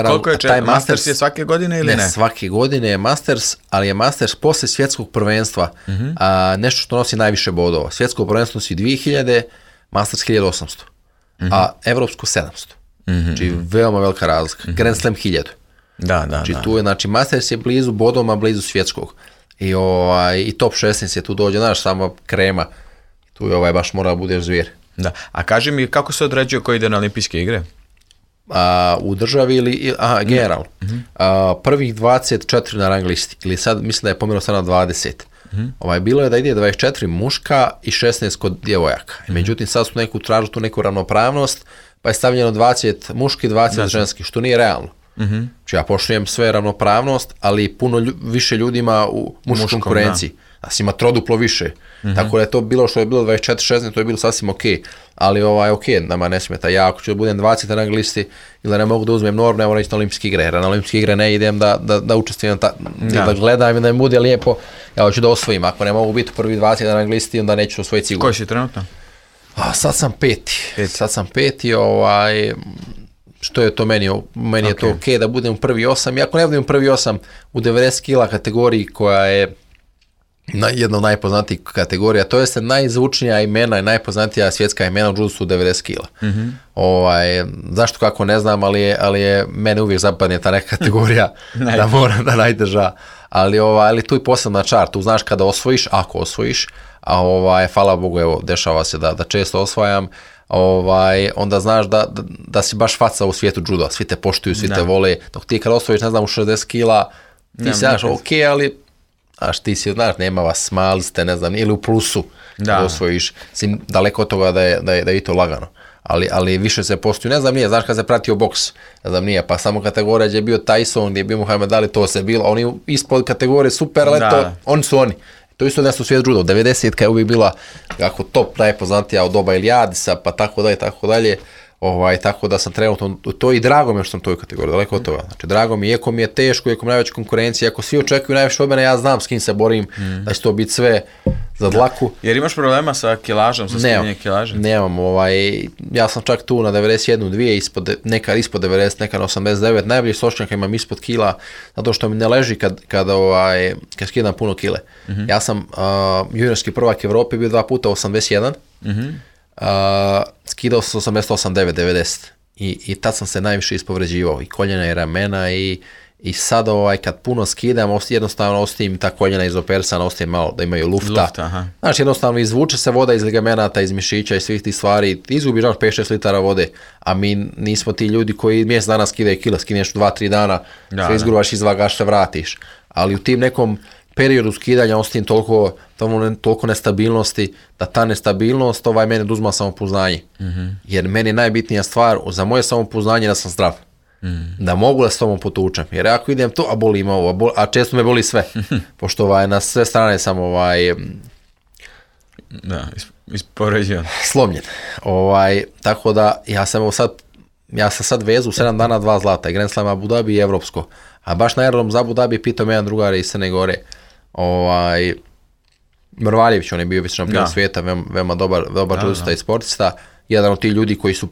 koliko je taj Masters je svake godine ili ne? Ne, svake godine je Masters, ali je Masters posle svjetskog prvenstva nešto što nosi najviše bodova. Svjetsko prvenstvo nosi 2000, Masters 1800, a evropsko 700. Znači veoma velika razlika. Grand Slam 1000. Znači tu je, znači Masters je blizu bodoma, blizu svjetskog. I top 16 je tu dođe, znaš, samo krema. Tu je baš mora da budeš zvjer. Da. A kaži mi kako se određuje ko ide na olimpijske igre? U državi ili generalno. Prvih 24 na rang listi, ili sad mislim da je pomerao sad na 20. Bilo je da ide 24 muška i 16 kod djevojaka. Međutim, sad su tražu tu neku ravnopravnost, pa je stavljeno 20 muški, 20 ženski, što nije realno. Znači ja poštujem sve ravnopravnost, ali puno više ljudi ima u muškoj konkurenciji. Nas ima troduplo više. Tako da je to bilo što je bilo 24-16, to je bilo sasvim okej. Ali nama ne smeta. Ja ako ću da budem 20 na rang listi ili da ne mogu da uzmem normu, ne moram ići na olimpijske igre. Jer na olimpijske igre ne idem da učestvujem, da gledam i da mi bude lijepo. Ja hoću da osvojim. Ako ne mogu biti u prvi 20 na rang listi, onda neću osvojiti sigurno. Koji si trenutno? Sad sam peti. Što je to meni? Meni je to okej da budem u prvi 8. I ako ne budem u prvi 8 u 90 kila kategoriji koja je jedna od najpoznatijih kategorija, to je najzvučnija imena i najpoznatija svjetska imena u judu su 90 kila. Zašto kako ne znam, ali je mene uvijek zapadne ta neka kategorija da mora da najdrža. Ali tu je posebna čar, tu znaš kada osvojiš, ako osvojiš, a hvala Bogu, evo, dešava se da često osvajam, onda znaš da si baš faca u svijetu juda, svi te poštuju, svi te vole, dok ti kada osvojiš, ne znam, u 60 kila, ti si znaš, okej, ali ti si, znaš, nema vas, smali ste, ne znam, ili u plusu da osvojiš, daleko od toga da je i to lagano. Ali više se postoju, ne znam nije, znaš kad se pratio boks, ne znam nije, pa samo kategorija gdje je bio Tyson, gdje je bio Muhammed Ali, to se bilo, oni ispod kategorije super, ali to, oni su oni. To isto nešto u svijetu judo, 90-ka je uvijek bila kako top najpoznatija od doba Ilijadisa, pa tako dalje. Tako da sam trenutno to i drago mi je što sam u toj kategoriji, daleko od toga. Znači, drago mi je, iako mi je teško, iako mi je najveća konkurencija, ako svi očekuju najviše od mene, ja znam s kim se borim, da će to biti sve za dlaku. Jer imaš problema sa kilažom, sa skidanje kilaže? Nemam, ja sam čak tu na 91-2, nekad ispod 90, nekad na 89, najbolji sočnjaka imam ispod kila, zato što mi ne leži kad skidam puno kile. Ja sam juniorski prvak Evrope, bio 2 puta 81, skidao sam 88-9-90 i tad sam se najviše ispovređivao i koljena i ramena i sad kad puno skidam, jednostavno ostavim ta koljena izoperisana, ostavim malo da imaju lufta. Znači jednostavno izvuče se voda iz ligamenata, iz mišića i svih tih stvari, izgubiš 5-6 litara vode, a mi nismo ti ljudi koji mjesec dana skidaju kila, skineš 2-3 dana, sve izgruvaš, izvagaš, se vratiš. Ali u tim nekom periodu skidanja ostavim toliko nestabilnosti, da ta nestabilnost mene oduzma samopouznanje. Jer meni je najbitnija stvar za moje samopouznanje da sam zdrav. Da mogu da s tobom potučem. Jer ako idem to, a boli me ovo, a često me boli sve. Pošto na sve strane sam ispoređivan. Slomljen. Tako da ja sam sad vezu 7 dana 2 zlata. Grand Slam Abu Dhabi i evropsko. A baš na aerodrom za Abu Dhabi pitao me jedan drugar iz Crne Gore. Mrvaljević, on je bio vice šampion svijeta, veoma dobar judista i sportista. Jedan od tih ljudi koji su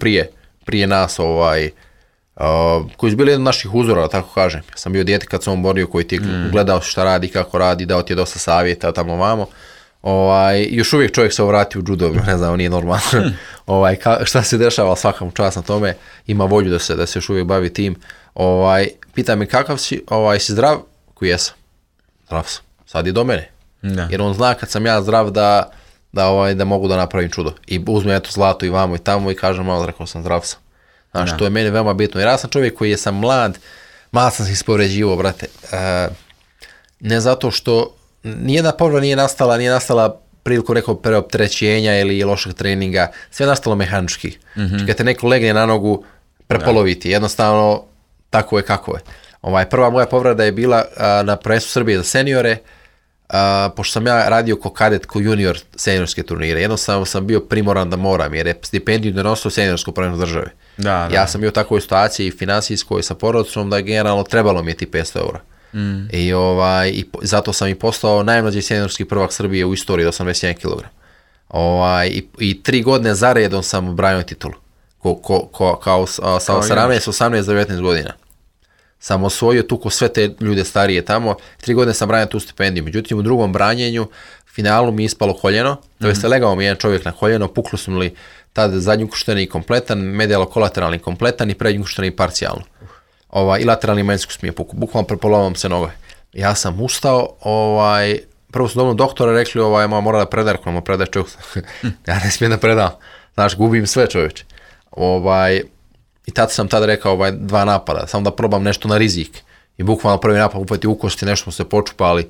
prije nas, koji su bili jedan od naših uzora, da tako kažem. Ja sam bio dijete kad sam on borio, koji ti gledao šta radi, kako radi, dao ti je dosta savjeta tamo vamo. Još uvijek čovjek se vrati u judo, ne znam, nije normalno. Šta se dešava, svakom čast na tome, ima volju da se još uvijek bavi tim. Pita me kakav si, si zdrav? Koji jesam? Zdrav sam. Sad je do mene. Da. Jer on zna kad sam ja zdrav da mogu da napravim čudo. I uzme eto zlato i vamo i tamo i kažem malo, rekao sam zdrav sam. Znači, to je meni veoma bitno. Jer ja sam čovjek koji sam mlad sam se ispovređivao, brate. Ne zato što nijedna povreda nije nastala priliku nekog preopterećenja ili lošeg treninga. Sve je nastalo mehanički. Znači, kad te neko legne na nogu, prepoloviti. Jednostavno, tako je kako je. Prva moja povreda je bila na prvenstvu Srbije za seniore, pošto sam ja radio ko kadet, ko junior seniorske turnire. Jednostavno sam bio primoran da moram, jer je stipendiju donosio seniorsko prvenstvo države. Ja sam bio u takvoj situaciji finansijskoj sa porodicom da je generalno trebalo mi je ti 500 eura. I zato sam i postao najmlađi seniorski prvak Srbije u istoriji, 81 kg. I 3 godine zaredom sam branio titulu. Kao sa 17, 18, 19 godina. Sam osvojio tu ko sve te ljude starije tamo. 3 godine sam branio tu stipendiju. Međutim, u drugom branjenju, finalu mi je ispalo koljeno. To je legao mi jedan čovjek na koljeno, puklo su mi tada zadnji ukršteni kompletan, medijalno-kolateralni kompletan i prednji ukršteni parcijalno. I lateralni manjskus mi je pukao. Bukvalno prepolovam se noge. Ja sam ustao, prvo su dobro doktora rekli, mora da predaj, ako nam predaj čovjek. Ja ne smijem da predam. Znaš, gubim sve čovječe. I sam tada rekao 2 napada, samo da probam nešto na rizik. I bukvalno prvi napad upati u kosti, nešto smo se počupali,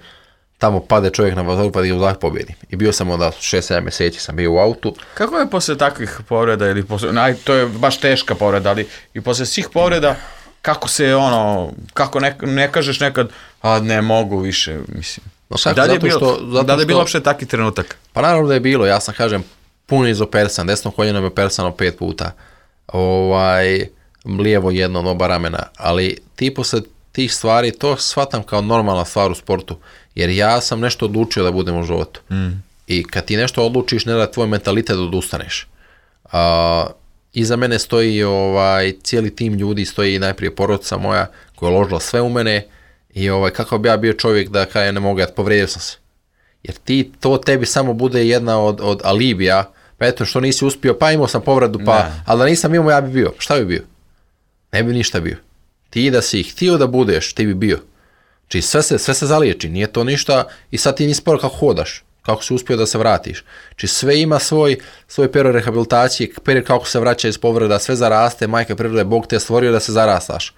tamo pade čovjek na vazoru pa da ga uzah pobjedim. I bio sam onda 6-7 mjeseci sam bio u autu. Kako je poslije takvih povreda, ili to je baš teška povreda, ali i poslije svih povreda, kako se kako ne kažeš nekad, ne mogu više, mislim. Da li je bilo uopšte taki trenutak? Pa naravno da je bilo, ja sam kažem, puno izopersan, desno koljeno me opersano 5 puta. Lijevo jedno, oba ramena, ali posle tih stvari to shvatam kao normalna stvar u sportu, jer ja sam nešto odlučio da budem u životu. I kad ti nešto odlučiš, ne da tvoj mentalitet da odustaneš. Iza mene stoji cijeli tim ljudi, stoji najprije porodica moja koja je uložila sve u mene i kako bi ja bio čovjek da kada ne mogu, povrijedio sam se. Jer to tebi samo bude jedna od alibija. Pa eto što nisi uspio, pa imao sam povredu, ali da nisam imao, ja bi bio. Šta bi bio? Ne bi ništa bio. Ti da si htio da budeš, ti bi bio. Znači sve se zaliječi, nije to ništa i sad ti nisi sporo kako hodaš, kako si uspio da se vratiš. Znači sve ima svoj period rehabilitacije, period kako se vraća iz povreda, sve zaraste, majka prirode, Bog te stvorio da se zarastaš.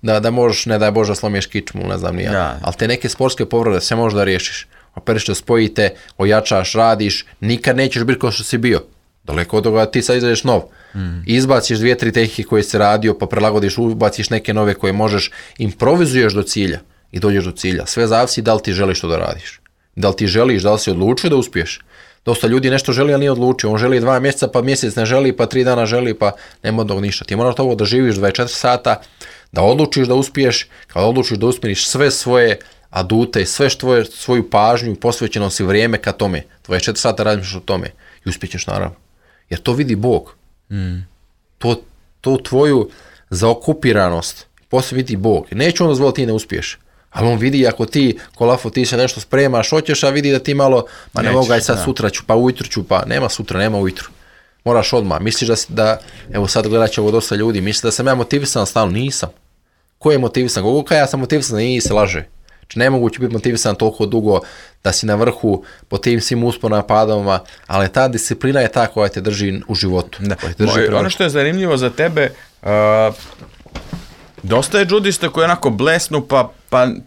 Da možeš, ne daj Bože, slomiješ kičmu, ne znam nija. Ali te neke sportske povrede sve možeš da riješiš. Operiš te, spojite, ojačaš, radiš, nikad nećeš biti kao što si bio. Daleko od toga ti sad izađeš nov. Izbaciš 2-3 tehnike koje si radio, pa prilagodiš, ubaciš neke nove koje možeš, improvizuješ do cilja i dođeš do cilja. Sve zavisi da li ti želiš to da radiš. Da li ti želiš, da li si odlučio da uspiješ. Dosta ljudi nešto želi, ali nije odlučio. On želi 2 mjeseca, pa mjesec ne želi, pa 3 dana želi, pa nema od ništa. Ti moraš ovo da živiš 24 sata, da odlučiš da uspiješ, kada odlučiš da usmjeriš sve svoje adute, sve svoju pažnju, posvećeno si vrijeme ka tome. 24 sata radiš o tome i uspjećeš naravno. Jer to vidi Bog. To tvoju zaokupiranost poslije vidi Bog. Neće on dozvoliti ti ne uspiješ. Ali on vidi ako ti, kolafo, ti se nešto spremaš, hoćeš, a vidi da ti malo, pa ne mogu, aj sad sutra ću, pa ujutru ću, pa nema sutra, nema ujutru. Moraš odmah. Misliš da evo sad gledat će ovo dosta ljudi, misliš da sam ja motivisan stalno? Nisam. Ko je motivisan? Koliko ja sam motivisan? Nije se laže. Znači nemoguće biti motivisan toliko dugo da si na vrhu po tim svim usponama, padovima, ali ta disciplina je ta koja te drži u životu. Ono što je zanimljivo za tebe, dosta je džudista koji onako blesnu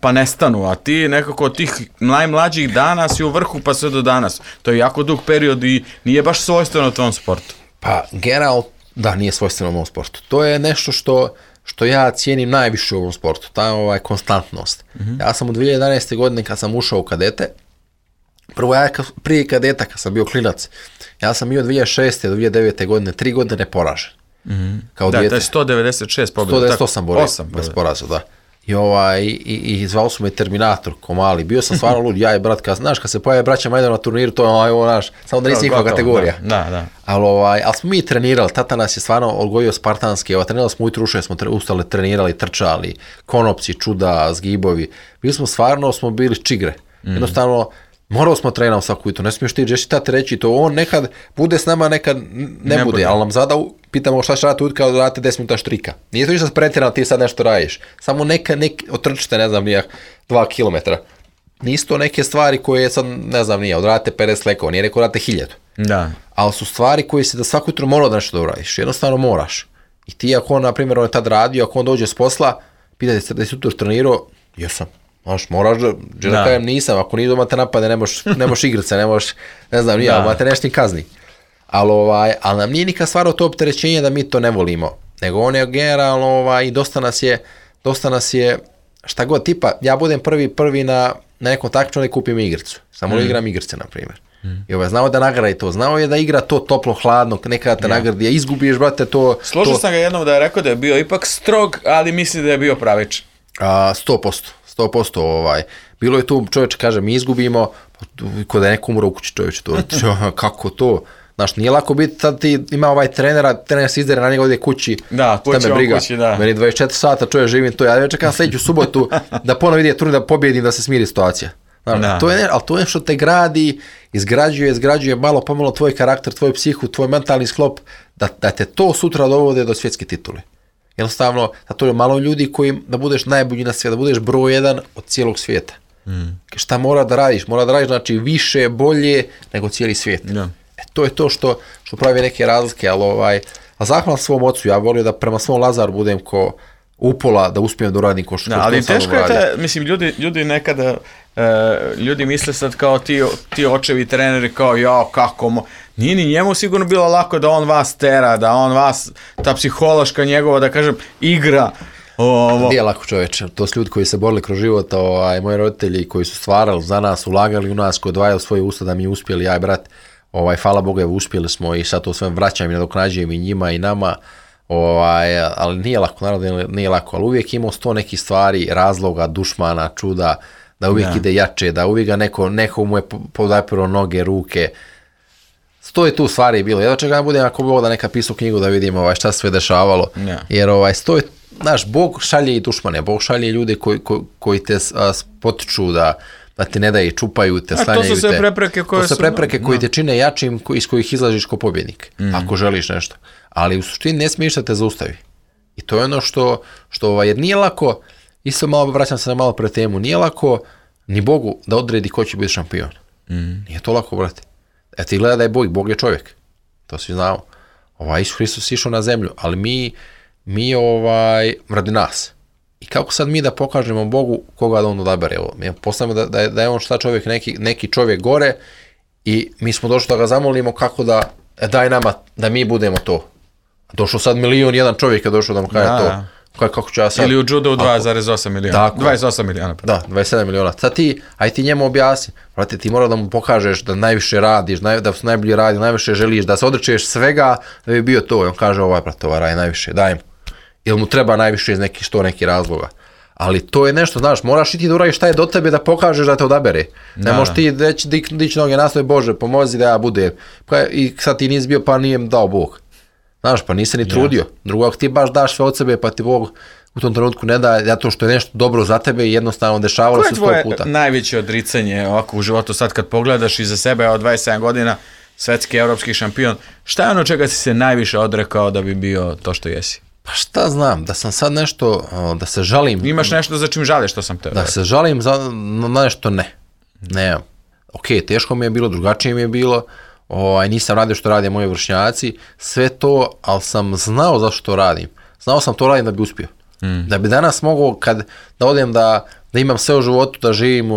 pa nestanu, a ti nekako od tih najmlađih dana si u vrhu pa sve do danas. To je jako dug period i nije baš svojstveno tvom sportu. Pa generalno, da, nije svojstveno mom sportu. To je nešto što ja cijenim najviše u ovom sportu, ta konstantnost. Ja sam u 2011. godine kad sam ušao u kadete, prvo ja prije kadeta kad sam bio klinac, ja sam bio 2006. do 2009. godine 3 godine neporažen. Kao da, dijete. to je 196 pobjeda. 198 borja bez poraza, da. I zvao su me Terminator, ko mali. Bio sam stvarno lud, ja i brat, kad se pojave braća Majdan na turniru, to je naš, samo da nisi njihova kategorija. Da. Ali smo mi trenirali, tata nas je stvarno odgojio spartanski, trenirali smo ujutru, smo ustali, trenirali, trčali, konopci, čuda, zgibovi. Bili smo stvarno, bili čigre. Jednostavno, Morao smo trenao svaku jutro, ne smiješ ti tate reći to, on nekad bude s nama, nekad ne bude, ali nam zada pitamo šta će raditi ujutro kada radite 10 minuta štrika. Nije to ništa pretjerano, ti sad nešto radiš, samo otrčite, ne znam, 2 kilometra. Nisu to neke stvari koje sad, ne znam, odradite 50 lekova, nije rekao radite 1000. Da. Ali su stvari koje se da svako jutro mora da nešto da uradiš, jednostavno moraš. I ti ako on, na primjer, on je tad radio, ako on dođe s posla, pitate se da si jutro trenirao, jesam. Moraš da kajem nisam, ako nije doma te napade, ne možeš igrat se, ne možeš, ne znam, ali te nešto kazni. Ali nam nije nikad stvarao to opterećenje da mi to ne volimo, nego on je generalno i dosta nas je, šta god, tipa, ja budem prvi na nekom takmičenju da kupim igricu, samo igram igrice, na primjer. I znao da nagradi to, znao je da igra to toplo, hladno, nekada te nagradi, a izgubiš, brate, to... Složio sam ga jednom da je rekao da je bio ipak strog, ali misli da je bio pravičan. 100%. Bilo je tu, čovječe kaže, mi izgubimo, ko da je neko umro u kući, čovječe, to, kako to? Znaš, nije lako biti, sad ti ima trener se izdere na njega ovdje kući, da, kući, da. Meni 24 sata čovjek živim to, ja čekam sljedeću subotu da ponovo ide turni da pobjedim, da se smiri situacija. Znaš, ali to je što te gradi, izgrađuje malo pomalo tvoj karakter, tvoj psihu, tvoj mentalni sklop, da te to sutra dovode do svjetske titule. Jednostavno, to je malo ljudi koji da budeš najbolji na svijetu, da budeš broj 1 od cijelog svijeta. Šta mora da radiš? Mora da radiš znači više, bolje nego cijeli svijet. To je to što pravi neke razlike, ali zahvalan svom ocu, ja volio da prema svom Lazaru budem ko upola, da uspijem da uradim ko što sam uradio. Ali teško je mislim, ljudi nekada, ljudi misle sad kao ti očevi treneri, kao kako nije ni njemu sigurno bilo lako da on vas tera, da on vas, ta psihološka njegova, da kažem, igra. Nije lako, čoveče, to su ljudi koji se borili kroz život, moji roditelji koji su stvarali za nas, ulagali u nas, koji odvajali svoje usta da mi uspjeli, ja i brat, hvala Bogu, uspjeli smo i sad to sve vraćam i nadoknađujem i njima i nama, ali nije lako, naravno nije lako, ali uvijek imao 100 nekih stvari, razloga, dušmana, čuda, da uvijek ide jače, da uvijek ga neko mu je podapirao noge, ruke. 100 je tu stvari bilo. Jedno čega budem ako Bog da neka pisao knjigu da vidim šta se sve dešavalo. Jer 100 je, znaš, Bog šalje i dušmane, Bog šalje ljude koji te potiču da ti ne daju, čupaju te, slanjaju te. To su sve prepreke koje su... prepreke koji te čine jačim, iz kojih izlaziš ko pobjednik, ako želiš nešto. Ali u suštini ne smiješ da te zaustavi. I to je ono što jer nije lako, isto malo vraćam se na malo pre temu, nije lako ni Bogu da odredi ko će biti šampion. Nije to lako, brate. Ti gleda da je Bog je čovjek. To svi znamo. Isus Hristos išao na zemlju, ali mi radi nas. I kako sad mi da pokažemo Bogu koga da on odabere? Postavimo da je on šta čovjek, neki čovjek gore i mi smo došli da ga zamolimo kako da daj nama da mi budemo to. Došao sad 1.000.001 čovjek je došao da mu kaže to. Kako ću ja sad... Ili u judu 2,8 miliona. 28 miliona. Da, 27 miliona. Sad ti njemu objasni. Vrati, ti mora da mu pokažeš da najviše radiš, da se najbolje radi, najviše želiš, da se odričeš svega da bi bio to. I on kaže radi najviše, daj mu. Ili mu treba najviše iz nekih razloga. Ali to je nešto, znaš, moraš i ti da uradiš šta je do tebe da pokažeš da te odabere. Ne možeš ti dići noge nastoje, Bože, pomozi da ja budem. I sad ti nisi bio pa nije dao Bog. Znaš, pa nisi ni trudio. Drugo, ako ti baš daš sve od sebe, pa ti Bog u tom trenutku ne da, zato što je nešto dobro za tebe i jednostavno dešavalo se 100 puta. Koje je tvoje najveće odricanje ovako u životu sad kad pogledaš iza sebe od 27 godina, svetski evropski šampion, šta je ono čega si se najviše odrekao da bi bio to što jesi? Pa šta znam, da sam sad nešto, da se žalim... Imaš nešto za čim žališ, što sam te... Da se žalim na nešto, ne. Ne, teško mi je bilo, drugačije mi je bilo, nisam radio što rade moji vršnjaci, sve to, ali sam znao zašto to radim. Znao sam to radim da bi uspio. Da bi danas mogao, da odem da imam sve u životu, da živim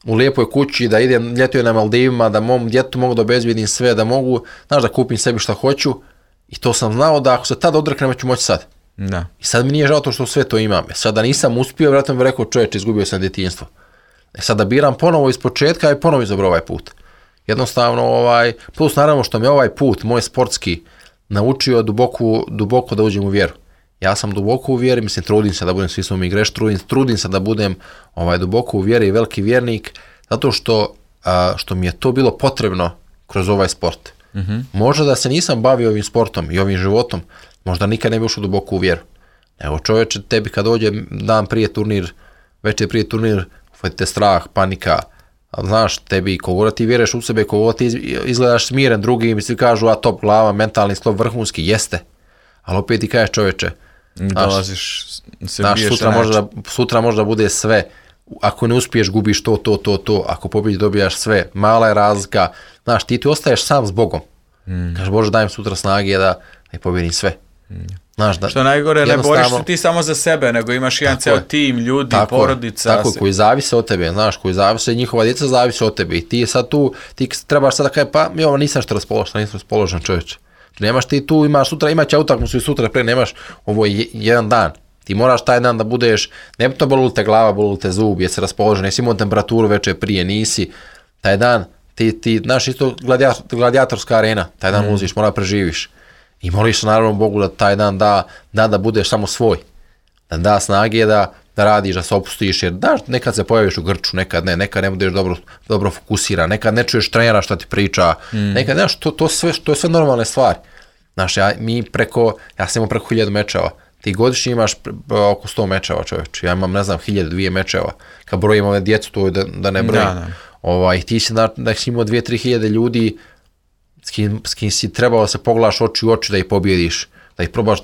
u lijepoj kući, da idem ljetujem na Maldivima, da mom djetu mogu da obezbijedim sve, da mogu, znaš, da kupim sebi šta hoću. I to sam znao da ako se tad odreknem, ću moći sad. Da. I sad mi nije žao to što sve to imam. Sad da nisam uspio, vjerojatno bih rekao, čovječe, izgubio sam djetinjstvo. Sad da biram ponovo iz početka i ponovo izabrao ovaj put. Jednostavno, plus naravno što me ovaj put, moj sportski, naučio duboko da uđem u vjeru. Ja sam duboko u vjeri, mislim, trudim se da budem, svi smo mi greš, trudim se da budem duboko u vjeri i veliki vjernik, zato što mi je to bilo potrebno kroz ovaj sport. Možda da se nisam bavio ovim sportom i ovim životom, možda nikad ne bi ušao duboko u vjeru. Evo čovječe, tebi kad dođe dan prije turnir, večer prije turnir, ufadite strah, panika, Ali znaš, tebi koliko ti vjeruješ u sebe, koliko ti izgledaš smiren, drugi mi svi kažu, a top glava, mentalni sklop vrhunski, jeste. Ali opet ti kažeš čovječe, dolaziš, se biješ sutra možda bude sve. Ako ne uspiješ, gubiš to. Ako pobjedi, dobijaš sve. Mala je razlika. Znaš, ti ostaješ sam s Bogom. Kažeš, Bože, dajem sutra snage da pobjedim sve. Znaš, što najgore, ne boriš se ti samo za sebe, nego imaš jedan ceo tim, ljudi, porodica. Tako, koji zavise od tebe, znaš, koji zavise, njihova djeca zavise od tebe. I ti sad tu, ti trebaš sad da kaže, pa mi ovo nisam raspoložen čovječe. Nemaš ti tu, imaće utakmicu i sutra pre, nemaš, ovo je jedan dan. Ti moraš taj dan da budeš, ne to boli te glava, boli te zub, jesi raspoložen, jesi imao temperaturu večer prije, nisi. Taj dan, ti znaš, isto gladijatorska arena, taj dan uziš, mora preživiš. I moliš naravno Bogu da taj dan da budeš samo svoj. Da snage da radiš, da se opustiš, jer nekad se pojaviš u grču, nekad ne budeš dobro fokusiran, nekad ne čuješ trenera što ti priča, nekad, znaš, to je sve normalne stvari. Znaš, ja sam imao preko 1000 mečeva, ti godišnje imaš oko 100 mečeva, čovječ, ja imam, ne znam, 1000-2 mečeva, kad brojim ove djecu, to je da ne brojim. Ti si da si imao 2-3 hiljade ljudi s kim si trebalo se pogledaš oči u oči da ih pobjediš, da ih probaš,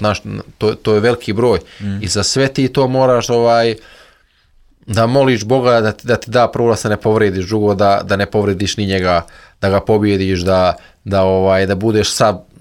to je veliki broj. I za sve ti to moraš da moliš Boga da ti da prvo da se ne povrediš, drugo da ne povrediš ni njega, da ga pobjediš, da budeš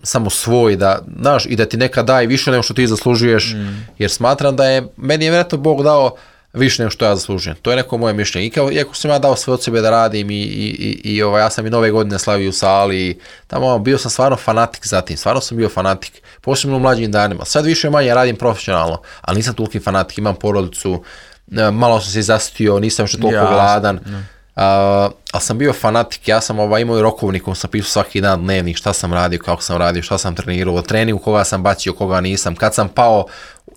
samo svoj, znaš, i da ti nekad daje više nego što ti zaslužuješ, jer smatram da meni je vjerojatno Bog dao više nego što ja zaslužujem. To je neko moje mišljenje. Iako sam ja dao sve od sebe da radim i ja sam i nove godine slavio u sali, tamo bio sam stvarno fanatik za tim, stvarno sam bio fanatik, posebno u mlađim danima. Sad više manje radim profesionalno, ali nisam toliki fanatik, imam porodicu, malo sam se zasitio, nisam još toliko gladan, ali sam bio fanatik, ja sam imao i rokovnik, sam pisao svaki dan dnevnik, šta sam radio, kako sam radio, šta sam trenirao, treningu, koga sam bacio, koga nisam, kad sam pao,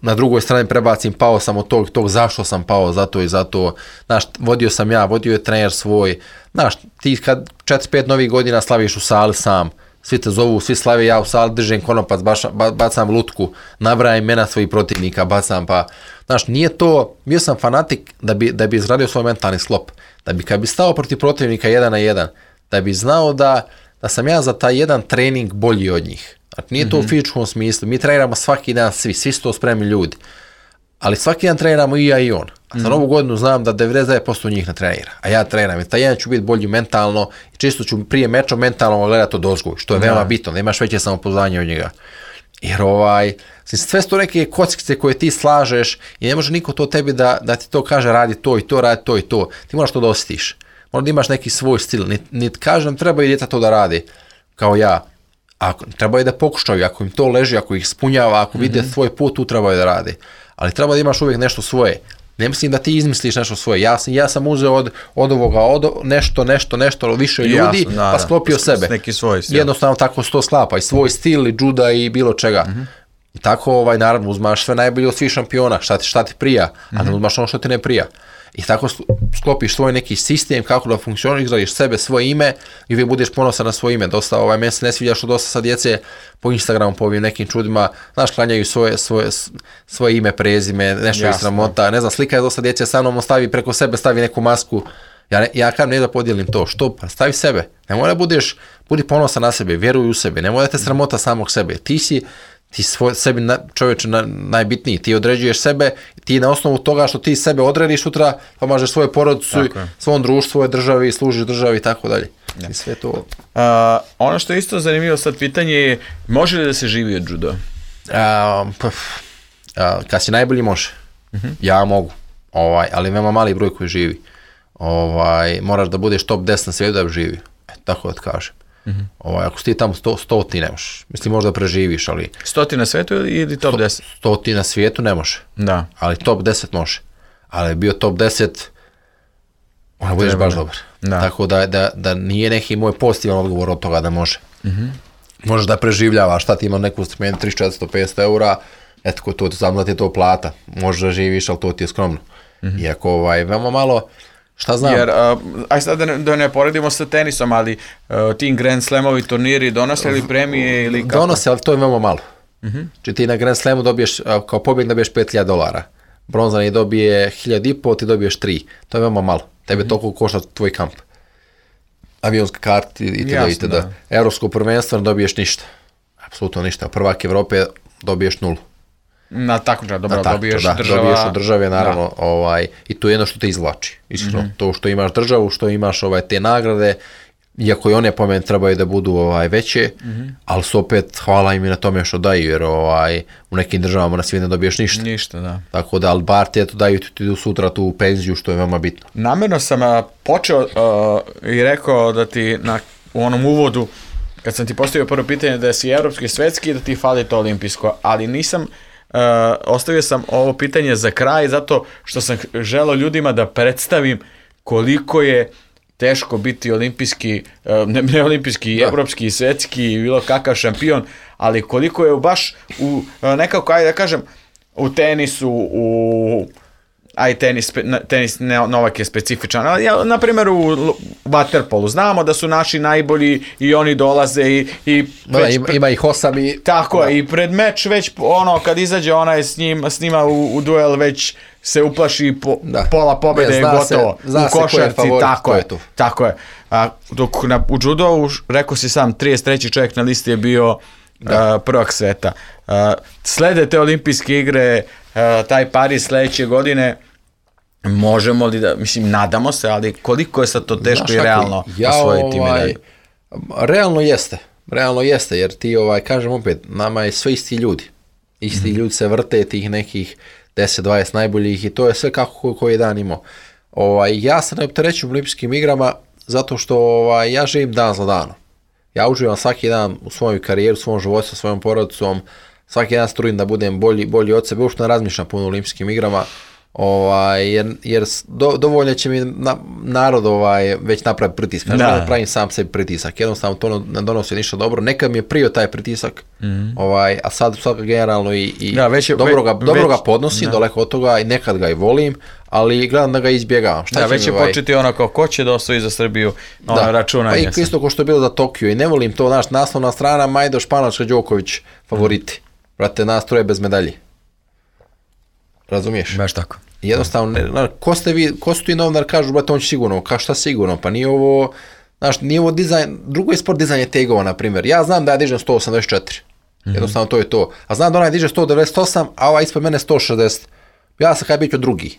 na drugoj strani prebacim, pao sam od tog zašto sam pao, zato i zato, znaš, vodio sam ja, vodio je trener svoj, znaš, ti kad 4-5 novih godina slaviš u sali sam, svi te zovu, svi slave, ja u sali držim konopac, bacam lutku, nabrajam imena svojih protivnika, bacam pa, znaš, nije to, bio sam fanatik da bi izradio svoj mentalni sklop, da bi kad bi stao protiv protivnika 1 na 1, da bi znao da sam ja za taj jedan trening bolji od njih. Znači, nije to u fizičkom smislu, mi treniramo svaki dan svi su to spremni ljudi, ali svaki dan treniramo i ja i on. A za novu godinu znam da 99% njih ne trenira, a ja treniram i taj jedan ću biti bolji mentalno i čisto ću prije meča mentalno gledati od ozgo, što je veoma bitno, da imaš veće samopouzdanje od njega. Jer sve su to neke kockice koje ti slažeš i ne može niko to tebi da ti to kaže radi to i to, radi to i to. Ti moraš to da osjetiš. Moraš da imaš neki svoj stil. Niti kažem treba i djeca to da radi kao ja. Treba i da pokušaju, ako im to leži, ako ih ispunjava, ako vide svoj put, tu trebaju da radi. Ali treba da imaš uvijek nešto svoje. Ne mislim da ti izmisliš nešto svoje. Ja sam uzeo od ovoga nešto više ljudi, pa sklopio sebe. Neki svoj stil. Jednostavno tako se to sklapa. I svoj stil, i juda, i bilo čega. I tako, naravno, uzmaš sve najbolje od svih šampiona, šta ti prija, a ne uzmaš ono što ti ne prija. I tako sklopiš svoj neki sistem, kako da funkcioniraš, izgradiš sebe, svoje ime i uvijek budeš ponosan na svoje ime. Dosta, meni se ne sviđa što dosta sad djece po Instagramu, po ovim nekim čudima, znaš, klanjaju svoje ime, prezime, nešto je sramota, ne znam, slika je dosta djece sa mnom, preko sebe stavi neku masku. Ja kažem ne da podijelim to, što? Pa stavi sebe. Ne mora budi ponosan na sebe, vjeruj u sebe, ne mora da te sramota samog sebe. Ti sebi čovječe najbitniji, ti određuješ sebe, ti na osnovu toga što ti sebe odrediš sutra, pomažeš svoje porodicu, svom društvu, svojoj državi, služiš državi i tako dalje. I sve to. Ono što je isto zanimljivo sad pitanje je, može li da se živi od judo? Kad si najbolji može. Ja mogu, ali veoma mali broj koji živi. Moraš da budeš top 10 na svijetu da bi živio, tako da kažem. Ako si ti tamo 100 ti ne možeš. Mislim, možda preživiš, ali... 100 na svijetu ili top 10? 100 na svijetu ne može. Da. Ali top 10 može. Ali bio top 10, onda budeš baš dobar. Tako da nije neki moj pozitivan odgovor od toga da može. Možeš da preživljavaš, šta ti ima neku strmenu 300-400-500 eura, eto, to ti znam da ti je to plata. Možeš da živiš, ali to ti je skromno. Iako, veoma malo... Šta znam? Jer, aj sad da ne poredimo sa tenisom, ali ti Grand Slamovi turniri donose li premije ili kako? Donose, ali to je veoma malo. Či ti na Grand Slamu dobiješ, kao pobjednik dobiješ $5,000. Bronzani dobije 1.500, ti dobiješ 3. To je veoma malo. Tebe toliko košta tvoj kamp. avionska karta itd. Evropsko prvenstvo ne dobiješ ništa. Apsolutno ništa. Prvak Evrope dobiješ 0. Na takmičenju, dobro, dobiješ država. Dobiješ od države, naravno, i to je jedno što te izvlači. Iskreno, to što imaš državu, što imaš te nagrade, iako i one po meni trebaju da budu veće, ali su opet, hvala im i na tome što daju, jer u nekim državama na svijet ne dobiješ ništa. Ništa, da. Tako da, ali bar ti daju ti sutra tu penziju, što je veoma bitno. Namjerno sam počeo i rekao da ti u onom uvodu, kad sam ti postavio prvo pitanje da si evropski i svetski, da ti fali to olimpijsko, ali nisam, ostavio sam ovo pitanje za kraj, zato što sam želeo ljudima da predstavim koliko je teško biti olimpijski, ne olimpijski, evropski i svetski, bilo kakav šampion, ali koliko je baš u nekako, ajde da kažem, u tenisu, tenis Novak je specifičan, ali na primjer u waterpolu znamo da su naši najbolji i oni dolaze i ima ih 8 i... Tako je, i pred meč već kad izađe onaj s njima u duel već se uplaši pola pobjede je gotovo. U košarci, tako je. Dok u judovu, rekao si sam, 33. čovjek na listi je bio prvak sveta. Slede te olimpijske igre, taj Pariz sledeće godine, možemo li da, mislim, nadamo se, ali koliko je sad to teško i realno osvojiti medalju? Realno jeste, jer ti, kažem opet, nama je sve isti ljudi. Isti ljudi se vrte tih nekih 10-20 najboljih i to je sve kako koji je dan imao. Ja se ne opterećujem olimpijskim igrama zato što ja živim dan za danom. Ja uživam svaki dan u svoju karijeru, u svom životu, sa svojom porodicom, svaki dan se trudim da budem bolji od sebe, uopšte ne razmišljam puno o olimpijskim igrama, jer dovoljno će mi narod već napravi pritisak. Ne pravim sam sebi pritisak, jednostavno to ne donosi ništa dobro. Nekad mi je prio taj pritisak, a sad generalno i dobro ga podnosim, daleko od toga, i nekad ga i volim, ali gledam da ga izbjegavam. Već je početi kao ko će da osvoji za Srbiju, računanje. Pa i isto ko što je bilo za Tokio, i ne volim to, naslovna strana Majdo Španačka Đoković favoriti. Brate, nas troje bez medalje. Razumiješ? Baš tako. Jednostavno, ko su ti novinar, kažu, brate, on će sigurno, šta sigurno, pa nije ovo dizajn, drugo je sport dizajnje tegova, na primjer. Ja znam da ja dižem 184, jednostavno to je to, a znam da onaj diže 198, a ova ispod mene 160, ja sam kaj bit ću drugi.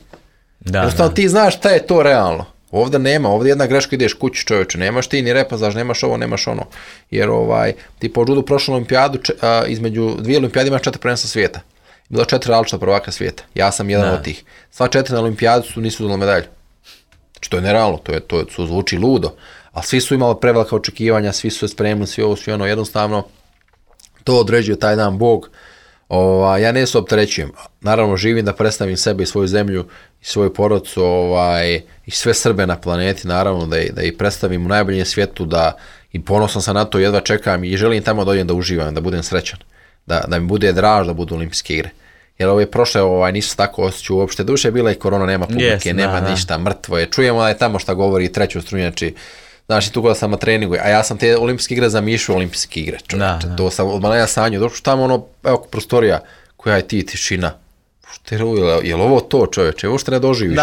Jednostavno ti znaš šta je to realno. Ovdje nema, ovdje jedna greška, ideš kući, čovječe, nemaš ti ni repazaž, nemaš ovo, nemaš ono, jer ti po judu prošlu olimpijadu, između dvije olimpijade imaš 4 prvenstva svijeta. Bilo 4 različita prvaka svijeta. Ja sam jedan od tih. Sva 4 na olimpijadu nisu uzeli medalju. Znači to je nerealno, to zvuči ludo. Ali svi su imali prevelika očekivanja, svi su se spremili, svi ovo, svi ono, jednostavno to određuje taj dan Bog. Ja ne se opterećujem. Naravno živim da predstavim sebe i svoju zemlju i svoju porodicu i sve Srbe na planeti, naravno da ih predstavim u najboljem svijetu, da i ponosan sam na to, jedva čekam i želim tamo da odem da uživam, da budem srećan. Da mi bude draž da budu olimpijske igre. Jer ove prošle nisu tako osjećaju uopšte. Duše je bila i korona, nema publike, nema ništa, mrtvo je. Čujemo da je tamo šta govori treću strunjači. Znaš, i tu kada sam na treningu, a ja sam te olimpijske igre zamišljao olimpijske igre. To sam od malena sanju. Došao tamo evo prostorija, koja je ti tišina. Je li ovo to, čovječe? Uopšte ne doživiš.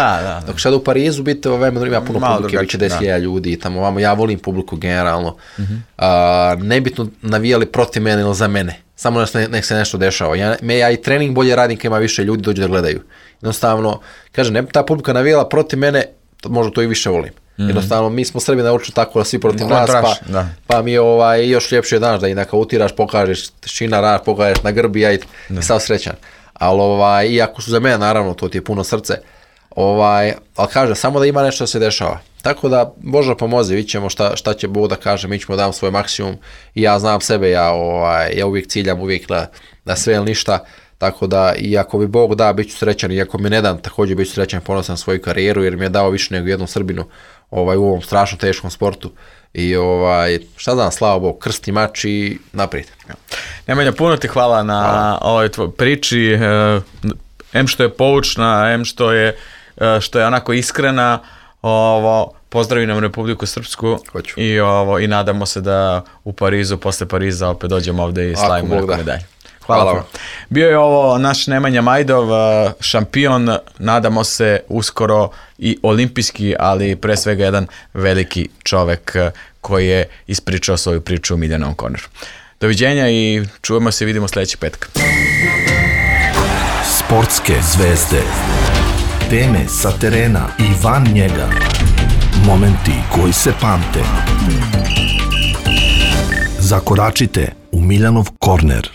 Dok sada u Parizu biti, ima puno publike, biće 10.000 ljudi i tamo vamo. Ja volim publiku generalno. Nebitno navijali protiv mene ili za mene. Samo nek se nešto dešava. Ja i trening bolje radim kad ima više ljudi dođu da gledaju. Jednostavno, kažem, ne bi ta publika navijala protiv mene, možda to i više volim. Jednostavno, mi smo Srbi naučili tako da svi protiv nas, pa mi je još ljepše daš da i neka utiraš, pokažeš tišina, raš, pokažeš na grbi, ja i sav srećan. Ali, iako su za mene, naravno, to ti je puno srce, ali kažem, samo da ima nešto da se dešava. Tako da, Bože pomozi, vidit ćemo šta će Bog da kaže, mi ćemo dam svoj maksimum i ja znam sebe, ja uvijek ciljam, uvijek na sve ili ništa, tako da i ako bi Bog da, bit ću srećan, i ako mi ne dam, također bit ću srećan, ponosan na svoju karijeru, jer mi je dao više nego jednom Srbinu u ovom strašno teškom sportu i šta znam, slava Bog, krst i mač i naprijed. Nemanja, puno ti hvala na ovoj tvoj priči, em što je poučna, em što je onako iskrena. Pozdravi nam Republiku Srpsku i nadamo se da u Parizu, posle Pariza opet dođemo ovde i slavimo neku medalju. Hvala vam. Bio je ovo naš Nemanja Majdov, šampion, nadamo se uskoro i olimpijski, ali pre svega jedan veliki čovek koji je ispričao svoju priču u Miljanovom korneru. Doviđenja i čujemo se i vidimo sljedeći petak. Sportske zvezde, teme sa terena i van njega, momenti koji se pamte. Zakoračite u Miljanov korner.